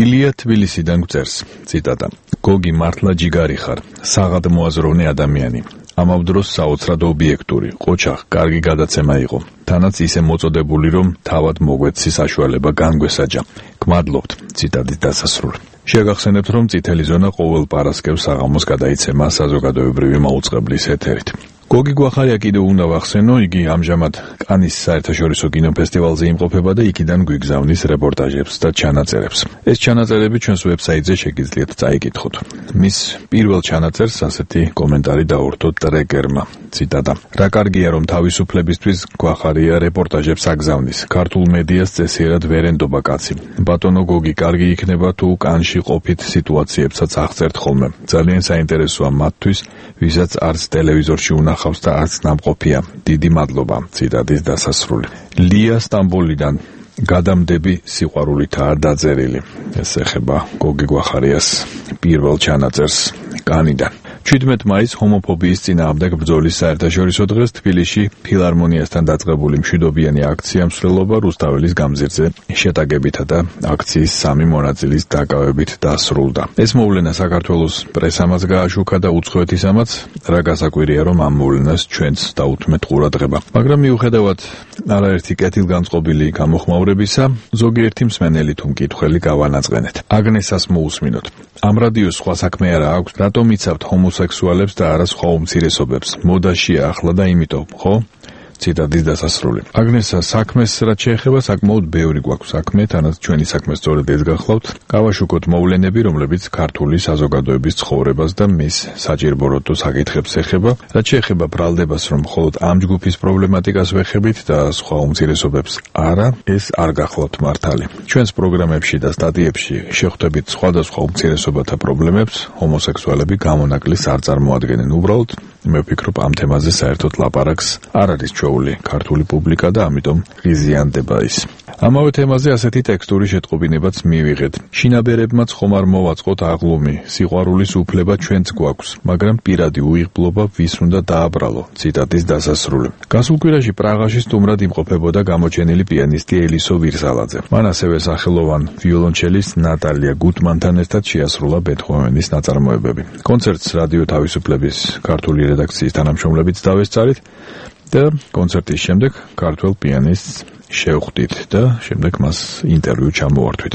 ილია თბილისიდან გვწერს, ციტატა: გოგი მართლა ჯიგარი ხარ, საღად მოაზროვნე ადამიანი. ამავ დროს საოცრად ობიექტური, ყოჩახ, კარგი გადაცემა იყო. თანაც ისე მოწოდებული, რომ თავად მოგვეცი საშუალება განგვესაჯა. გმადლობთ. ციტატის დასასრული. შეგახსენებთ, რომ წითელი ზონა ყოველ პარასკევს საღამოს გადაიცემა საზოგადოებრივი მაუწყებლის ეთერით. გოგი გვახარია კიდევ უნდა ვახსენო, იგი ამჟამად კანის საერთაშორისო კინოფესტივალზე იმყოფება და იქიდან გვიგზავნის რეპორტაჟებს და ჩანაწერებს. ეს ჩანაწერები ჩვენს ვებსაიტზე შეგიძლიათ წაიკითხოთ. მის პირველ ჩანაწერს ასეთი კომენტარი დაურთო ტრეკერმა. ციტატა: რა კარგია, რომ თავისუფლებისთვის გვახარია რეპორტაჟებს აგზავნის. ქართულ მედიას წესიერად ვერ ენდობა კაცი. ბატონო გოგი, კარგი იქნება თუ კანში ყოფით სიტუაციებსაც აღწერთ ხოლმე. ძალიან საინტერესოა მათთვის, ვისაც არც ტელევიზორში და არც ნამყოფია. დიდი მადლობა. ციტატის დასასრული. ლია სტამბოლიდან გადამდები სიყვარულითაა დაწერილი. ეს ეხება გოგი გვახარიას პირველ ჩანაწერს კანიდან. 17 მაისს ჰომოფობიის წინააღმდეგ ბრძოლის საერთაშორისო დღეს თბილისში ფილარმონიასთან დაწყებული მშვიდობიანი აქცია მსვლელობა რუსთაველის გამზირზე შეტაკებითა და აქციის 3 მონაწილის დაკავებით დასრულდა. ეს მოვლენა საქართველოს პრესამაც გააშუქა და უცხოეთისამაც, რა გასაკვირია, რომ ამ მოვლენას ჩვენც დაუთმეთ ყურადღება. მაგრამ მიუხედავად არაერთი კეთილგანწყობილი გამოხმაურებისა, ზოგიერთი მსმენელი თუ მკითხველი გავანაწყენეთ. აგნესას მოусმინოთ. ამ რადიოს სხვა საქმე არა აქვს, რატომ იცავთ ჰომოსექსუალებს და არა სხვა უმცირესობებს? მოდაშია ახლა და იმიტომ, ხო? ციტატის დასასრული. აგნესა, საქმეს რაც შეეხება, საკმაოდ ბევრი გვაქვს საქმე, თანაც ჩვენი საქმე სწორედ ეს გახლავთ. გავაშუქოთ მოვლენები, რომლებიც ქართული საზოგადოების ცხოვრებას და მის საჭირბოროტო საკითხებს ეხება. რაც შეეხება ბრალდებას, რომ მხოლოდ ამ ჯგუფის პრობლემატიკას ვეხებით და სხვა უმცირესობებს არა, ეს არ გახლავთ მართალი. ჩვენს პროგრამებში და სტატიებში შეხვდებით სხვადასხვა უმცირესობათა პრობლემებს, ჰომოსექსუალები გამონაკლისს არ წარმოადგენენ. უბრალოდ მე ვფიქრობ, ამ თემაზე საერთოდ ლაპარაკს არ არის ჩვეული ქართული პუბლიკა და ამიტომ ღიზიანდება ის. ამავე თემაზე ასეთი ტექსტური შეტყობინებაც მივიღეთ. შინაბერებმაც ხომ არ მოვაწყოთ აღლუმი, სიყვარულის უფლება ჩვენც გვაქვს, მაგრამ პირადი უიღბლობა ვის უნდა დააბრალო. ციტატის დასასრული. გასულ კვირაში პრაღაში სტუმრად იმყოფებოდა გამოჩენილი პიანისტი ელისო ვირსალაძე. მან ასევე სახელოვან ვიოლონჩელის ნატალია გუტმანთან ერთად შეასრულა ბეთჰოვენის ნაწარმოებები. კონცერტს რადიო თავისუფლების ქართული რედაქციის თანამშრომლებიც დავესწარით და კონცერტის შემდეგ ქართველ პიანისტს შევხვდით და შემდეგ მას ინტერვიუ ჩამოვართვით.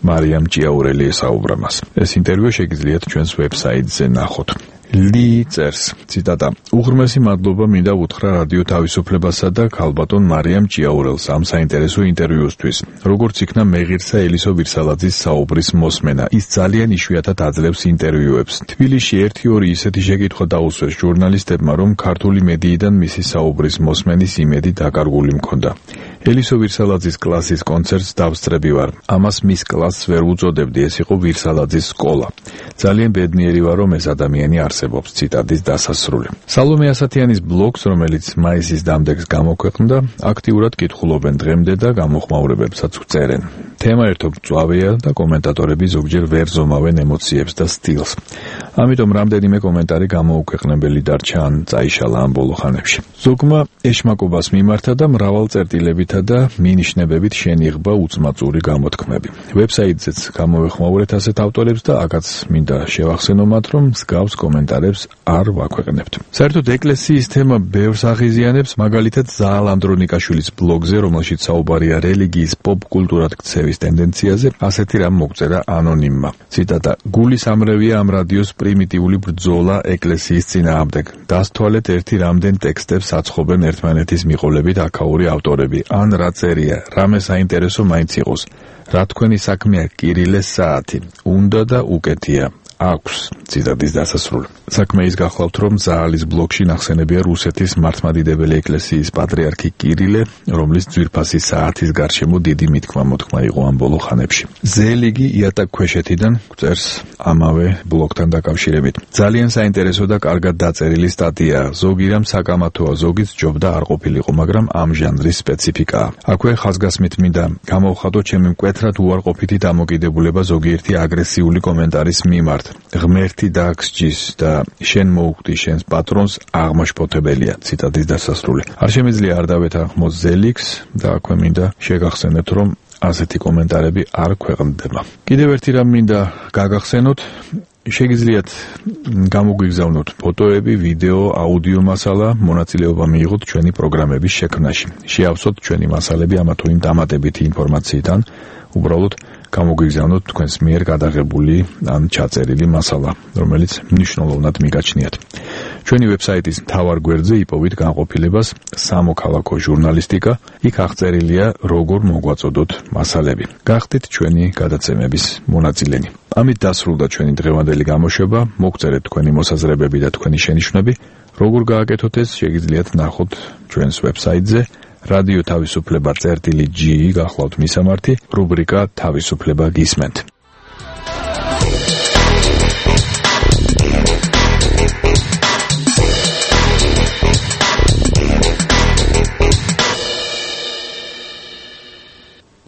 მარიამ ჭიაურელი ესაუბრა მას. ეს ინტერვიუ შეგიძლიათ ჩვენს ვებსაიტზე ნახოთ. ლი წერს, ციტატა: უღრმესი მადლობა მინდა უთხრა რადიო თავისუფლებასა და ქალბატონ მარიამ ჭიაურელს ამ საინტერესო ინტერვიუსთვის. როგორც იქნა მეღირსა ელისო ვირსალაძის საუბრის მოსმენა, ის ძალიან იშვიათად აძლევს ინტერვიუებს. თბილისში 1-2 ისეთი შეკითხვა დაუსვეს ჟურნალისტებმა, რომ ქართული მედიიდან მისი საუბრის მოსმენის იმედი დაკარგული მქონდა. ელისო ვირსალაძის კლასის კონცერტს დავსწრები ვარ. ამას მის კლასს ვერ უწოდებდი, ეს იყო ვირსალაძის სკოლა. ძალიან ბედნიერი ვარ, რომ ეს ადამიანი არსებობს. ციტატის დასასრული. სალომე ასათიანის ბლოგს, რომელიც მაისის დამდეგს გამოქვეყნდა, აქტიურად კითხულობენ დღემდე და გამოხმაურებებსაც ვწერენ. თემა ერთობ მწვავეა და კომენტატორები ზოგჯერ ვერ ზომავენ ემოციებს და სტილს. ამიტომ რამდენიმე კომენტარი გამოუქვეყნებელი დარჩა ან წაიშალა ამ ბოლო ხანებში. ზოგმა ეშმაკობას მიმართა და მრავალწერტილებითა და მინიშნებებით შენიღბა უწმაწური გამოთქმები. ვებსაიტზეც გამოვეხმაურეთ ასეთ ავტორებს და აქაც მინდა შევახსენო მათ, რომ მსგავს კომენტარებს არ ვაქვეყნებთ. საერთოდ ეკლესიის თემა ბევრს აღიზიანებს, მაგალითად ზაალ ანდრონიკაშვილის ბლოგზე, რომელშიც საუბარია რელიგიის პოპ-კულტურად ქცევის ტენდენციაზე, ასეთი რამ მოგწერა ანონიმმა. ციტატა: გულის ამრევია ამ რადიოს პრიმიტიული ბრძოლა ეკლესიის წინააღმდეგ. დასთვალეთ ერთი რამდენ ტექსტებს აცხობენ ერთმანეთის მიყოლებით აქაური ავტორები. ან რა წერია, რამე საინტერესო მაინც იყოს. რა თქვენი საქმეა კირილეს საათი? უნდა და უკეთია. აქვს. ციტატის დასასრული. საქმე ის გახლავთ, რომ ზაალის ბლოგში ნახსენებია რუსეთის მართლმადიდებელი ეკლესიის პატრიარქი კირილე, რომლის ძვირფასი საათის გარშემო დიდი მითქმა-მოთქმა იყო ამ ბოლო ხანებში. ზელიგი იატაკ ქვეშეთიდან წერს ამავე ბლოგთან დაკავშირებით. ძალიან საინტერესო და კარგად დაწერილი სტატია. ზოგი რამ საკამათოა, ზოგიც ჯობდა არ ყოფილიყო, მაგრამ ამ ჟანრის სპეციფიკაა. აქვე ხაზგასმით მინდა გამოვხატო ჩემი მკვეთრად უარყოფითი დამოკიდებულება ზოგიერთი აგრესიული კომენტარის მიმართ. ღმერთი დააგსჯის და შენ მოუხდი შენს პატრონს აღმაშფოთებელია. ციტატის დასასრული. არ შემიძლია არ დავეთანხმოთ ზელიks და აქვე მინდა შეგახსენოთ, რომ ასეთი კომენტარები არ ქვეყნდება. კიდევ ერთი რამ მინდა გაგახსენოთ, შეგიძლიათ გამოგვიგზავნოთ ფოტოები, ვიდეო, აუდიო მასალა, მონაწილეობა მიიღოთ ჩვენი პროგრამების შექმნაში. შეავსოთ ჩვენი მასალები ამა თუ იმ დამატებითი ინფორმაციიდან, უბრალოდ გამოგვიგზავნოთ თქვენს მიერ გადაღებული ან ჩაწერილი მასალა, რომელიც მნიშვნელოვნად მიგაჩნიათ. ჩვენი ვებსაიტის მთავარ გვერდზე იპოვით განყოფილებას სამოქალაქო ჟურნალისტიკა, იქ აღწერილია როგორ მოგვაწოდოთ მასალები. გახდით ჩვენი გადაცემების მონაწილენი. ამით დასრულდა ჩვენი დღევანდელი გამოშვება, მოგწერეთ თქვენი მოსაზრებები და თქვენი შენიშვნები, როგორ გააკეთოთ ეს შეგიძლიათ ნახოთ ჩვენს ვებსაიტზე რადიო თავისუფლება წერტილი.g გახლავთ მისამართი, რუბრიკა თავისუფლება გისმენთ.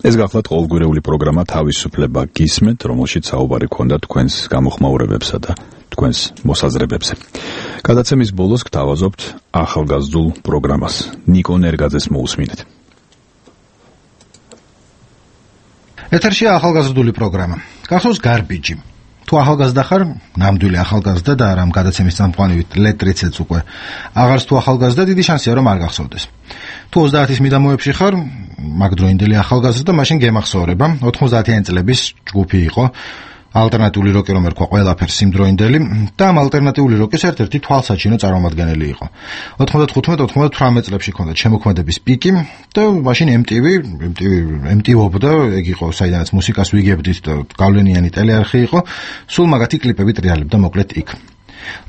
ეს გახლავთ ყოველგვარეული პროგრამა თავისუფლება გისმენთ, რომელშიც საუბარი გქონდა თქვენს გამოხმაურებებსა და თქვენს მოსაზრებებზე. გადაცემის ბოლოს გთავაზობთ ახალგაზრდულ პროგრამას. ნიკო ნერგაძეს მოусმინეთ. ეთერშია ახალგაზრდული პროგრამა. გახსოვს გარბიჯი. თუ ახალგაზრდა ხარ, ნამდვილი ახალგაზრდა და რამ გადაცემის წამყვანივით ლეტრიცეც უკვე აღარც თუ ახალგაზრდა, დიდი შანსია რომ არ გახსოვდეს. თუ 30-ის მიდამოებში ხარ, მაგდროინდელი ახალგაზრდა, მაშინ გემახსოვრება, 90-იანი წლების ჯგუფი იყო, ალტერნატიული როკი რომ ერქვა ყველაფერს იმდროინდელი და ამ ალტერნატიული როკის ერთ-ერთი თვალსაჩინო წარმომადგენელი იყო. 95-98 წლებში ჰქონდა შემოქმედების პიკი და მაშინ MTV-ობდა, ეგ იყო საიდანაც მუსიკას ვიგებდით და გავლენიანი ტელეარხი იყო, სულ მაგათი კლიპები ტრიალებდა მოკლედ იქ.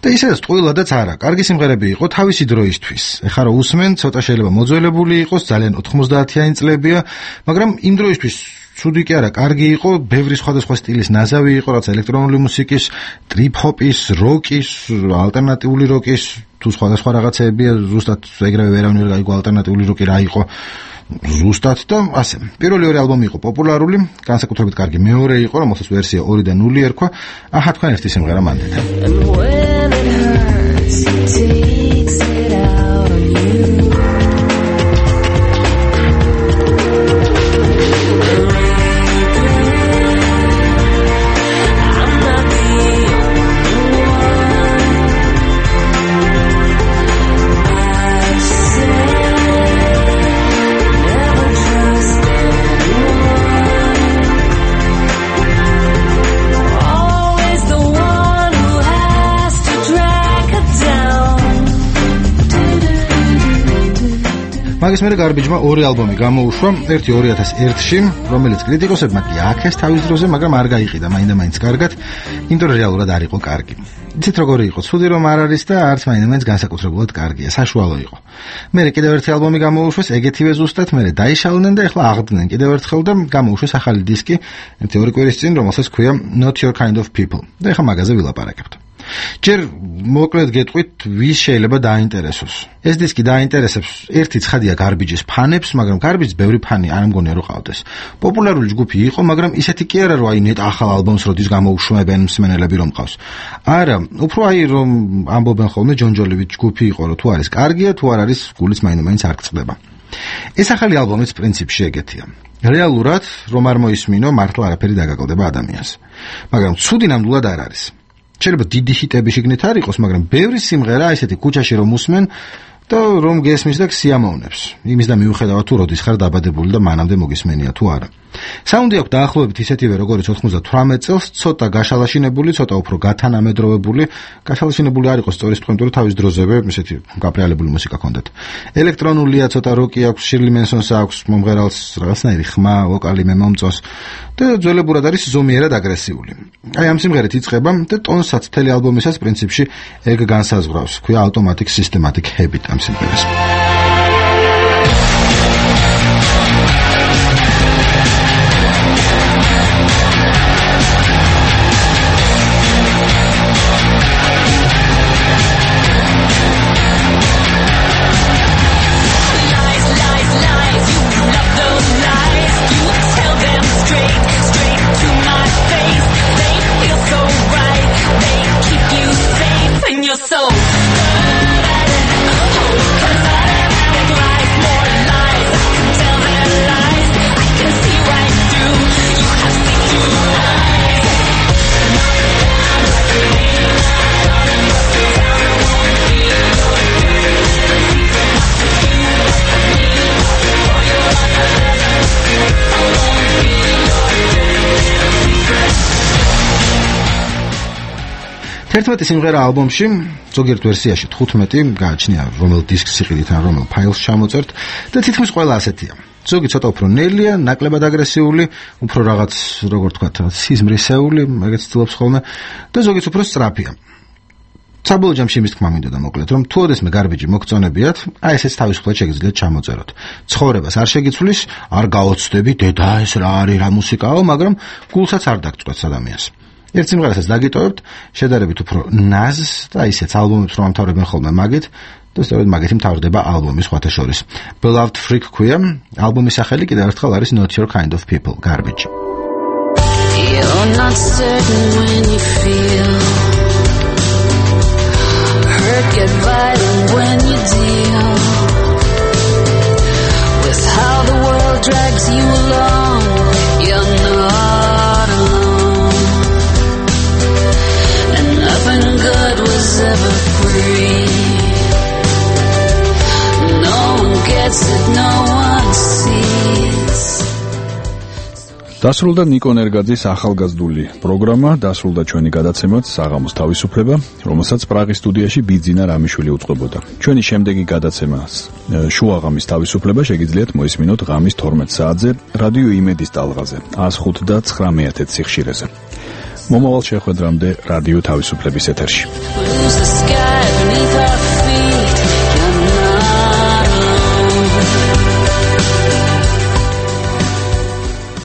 და ისედაც ტყუილადაც არა, კარგი სიმღერები იყო თავისი დროისთვის. ეხლა რა უსმენ, ცოტა შეიძლება მოძველებული იყოს, ძალიან 90-იანი წლებია, მაგრამ იმ დროისთვის ცუდი კი არა, კარგი იყო, ბევრი სხვადასხვა სტილის ნაზავი იყო, რაც ელექტრონული მუსიკის, ტრიპ-ჰოპის, როკის, ალტერნატიული როკის, თუ სხვადასხვა რაღაცეებია, ზუსტად ეგრევე ვერავინ ვერ გაიგო ალტერნატიული როკი რა იყო. ზუსტად და ასე. პირველი ორი ალბომი იყო პოპულარული, განსაკუთრებით კარგი მეორე იყო, რომელსაც ვერსია 2-დან 0 ერქვა. აჰა, თქვენ ერთი სიმღერა მანდეთ. მაგის მერე გარბიჯმა ორი ალბომი გამოუშვა, ერთი 2001-ში, რომელიც კრიტიკოსებმა კი აქეს თავის დროზე, მაგრამ არ გაიყიდა მაინდა-მაინც კარგად, იმიტომ რომ რეალურად არ იყო კარგი. იცით როგორი იყო, ცუდი რომ არ არის და არც მაინდა-მაინც განსაკუთრებულად კარგია, საშუალო იყო. მერე კიდევ ერთი ალბომი გამოუშვეს, ეგეთივე ზუსტად, მერე დაიშალნენ და ეხლა აღდგნენ კიდევ ერთხელ და გამოუშვეს ახალი დისკი, ერთი 2 კვირის წინ, რომელსაც ჰქვია Not Your Kind of People. და ეხლა მაგაზე ვილაპარაკებთ. ჯერ მოკლედ გეტყვით, ვის შეიძლება დაინტერესოს. ეს დისკი დაინტერესებს ერთი ცხადია გარბიჯის ფანებს, მაგრამ გარბიჯს ბევრი ფანი არ მგონია რომ ყავდეს. პოპულარული ჯგუფი იყო, მაგრამ ისეთი კი არა, რომ აი ნეტ ახალ ალბომს როდის გამოუშვებენ მსმენელები რომ ყავს. არა, უფრო აი რომ ამბობენ ხოლმე ჯონჯოლივით ჯგუფი იყო, რომ თუ არის კარგია, თუ არ არის, გულიც მაინდა-მაინც არ გწყდება. ეს ახალი ალბომიც პრინციპში ეგეთია. რეალურად რომ არ მოისმინო, მართლა არაფერი დაგაკლდება ადამიანს. მაგრამ ცუდი ნამდვილად არ არის. შეიძლება დიდი ჰიტები შიგნით არ იყოს, მაგრამ ბევრი სიმღერა ესეთი ქუჩაში რომ უსმენ და რომ გესმის და სიამოვნებს. იმის და მიუხედავად თუ როდის ხარ დაბადებული და მანამდე მოგისმენია თუ არა. საუნდი აქვს დაახლოებით ისეთივე როგორც 98 წელს, ცოტა გაშალაშინებული, ცოტა უფრო გათანამედროვებული. გაშალაშინებული არ იყოს სწორი სტუდენტური თავის დროზევე, ესეთი გაპრიალებული მუსიკა ჰქონდათ. ელექტრონულია, ცოტა როკი აქვს, შირლი მენსონს აქვს, მომღერალს რაღაცნაირი ხმა, ვოკალი მე მომწონს და ძველებურად არის ზომიერად აგრესიული. აი ამ სიმღერით იწყება და ტონსაც მთელი ალბომისას პრინციპში ეგ განსაზღვრავს. ქვია Automatic Systematic Habit ამ სიმღერას. თერთმეტი სიმღერა ალბომში, ზოგიერთ ვერსიაში 15 გააჩნია, რომელ დისკს იყიდით ან რომელ ფაილს ჩამოწერთ და თითქმის ყველა ასეთია. ზოგი ცოტა უფრო ნელია, ნაკლებად აგრესიული, უფრო რაღაც, როგორ თქვათ, სიზმრისეული, ეგეც ცდილობს ხოლმე და ზოგიც უფრო სწრაფია. საბოლოო ჯამში იმის თქმა მინდოდა მოკლედ, რომ თუ ოდესმე გარბიჯი მოგწონებიათ, აი ესეც თავისუფლად შეგიძლიათ ჩამოწეროთ. ცხოვრებას არ შეგიცვლის, არ გაოცდები, დედა ეს რა არის, რა მუსიკაო, მაგრამ გულსაც არ დაგწყვეტს ადამიანს. ერთ სიმღერასაც დაგიტოვებთ, შედარებით უფრო ნაზს და ისეც ალბომებს რომ ამთავრებენ ხოლმე მაგით, და სწორედ მაგეთი მთავრდება ალბომის სხვათა შორის. Beloved Freak ქვია, ალბომის სახელი კიდევ ერთხელ არის Not Your Kind of People, Garbage. You're not certain when you feel hurt, get violent when you deal with how the world drags you along. You're not alone, and nothing good was ever free. No one gets it, no one sees. დასრულდა ნიკო ნერგაძის ახალგაზრდული პროგრამა, დასრულდა ჩვენი გადაცემაც საღამოს თავისუფლება, რომელსაც პრაღის სტუდიაში ბიძინა რამიშვილი უწყობოდა. ჩვენი შემდეგი გადაცემას შუაღამის თავისუფლება შეგიძლიათ მოისმინოთ ღამის 12 საათზე რადიო იმედის ტალღაზე 105.9 სიხშირეზე. მომავალ შეხვედრამდე რადიო თავისუფლების ეთერში.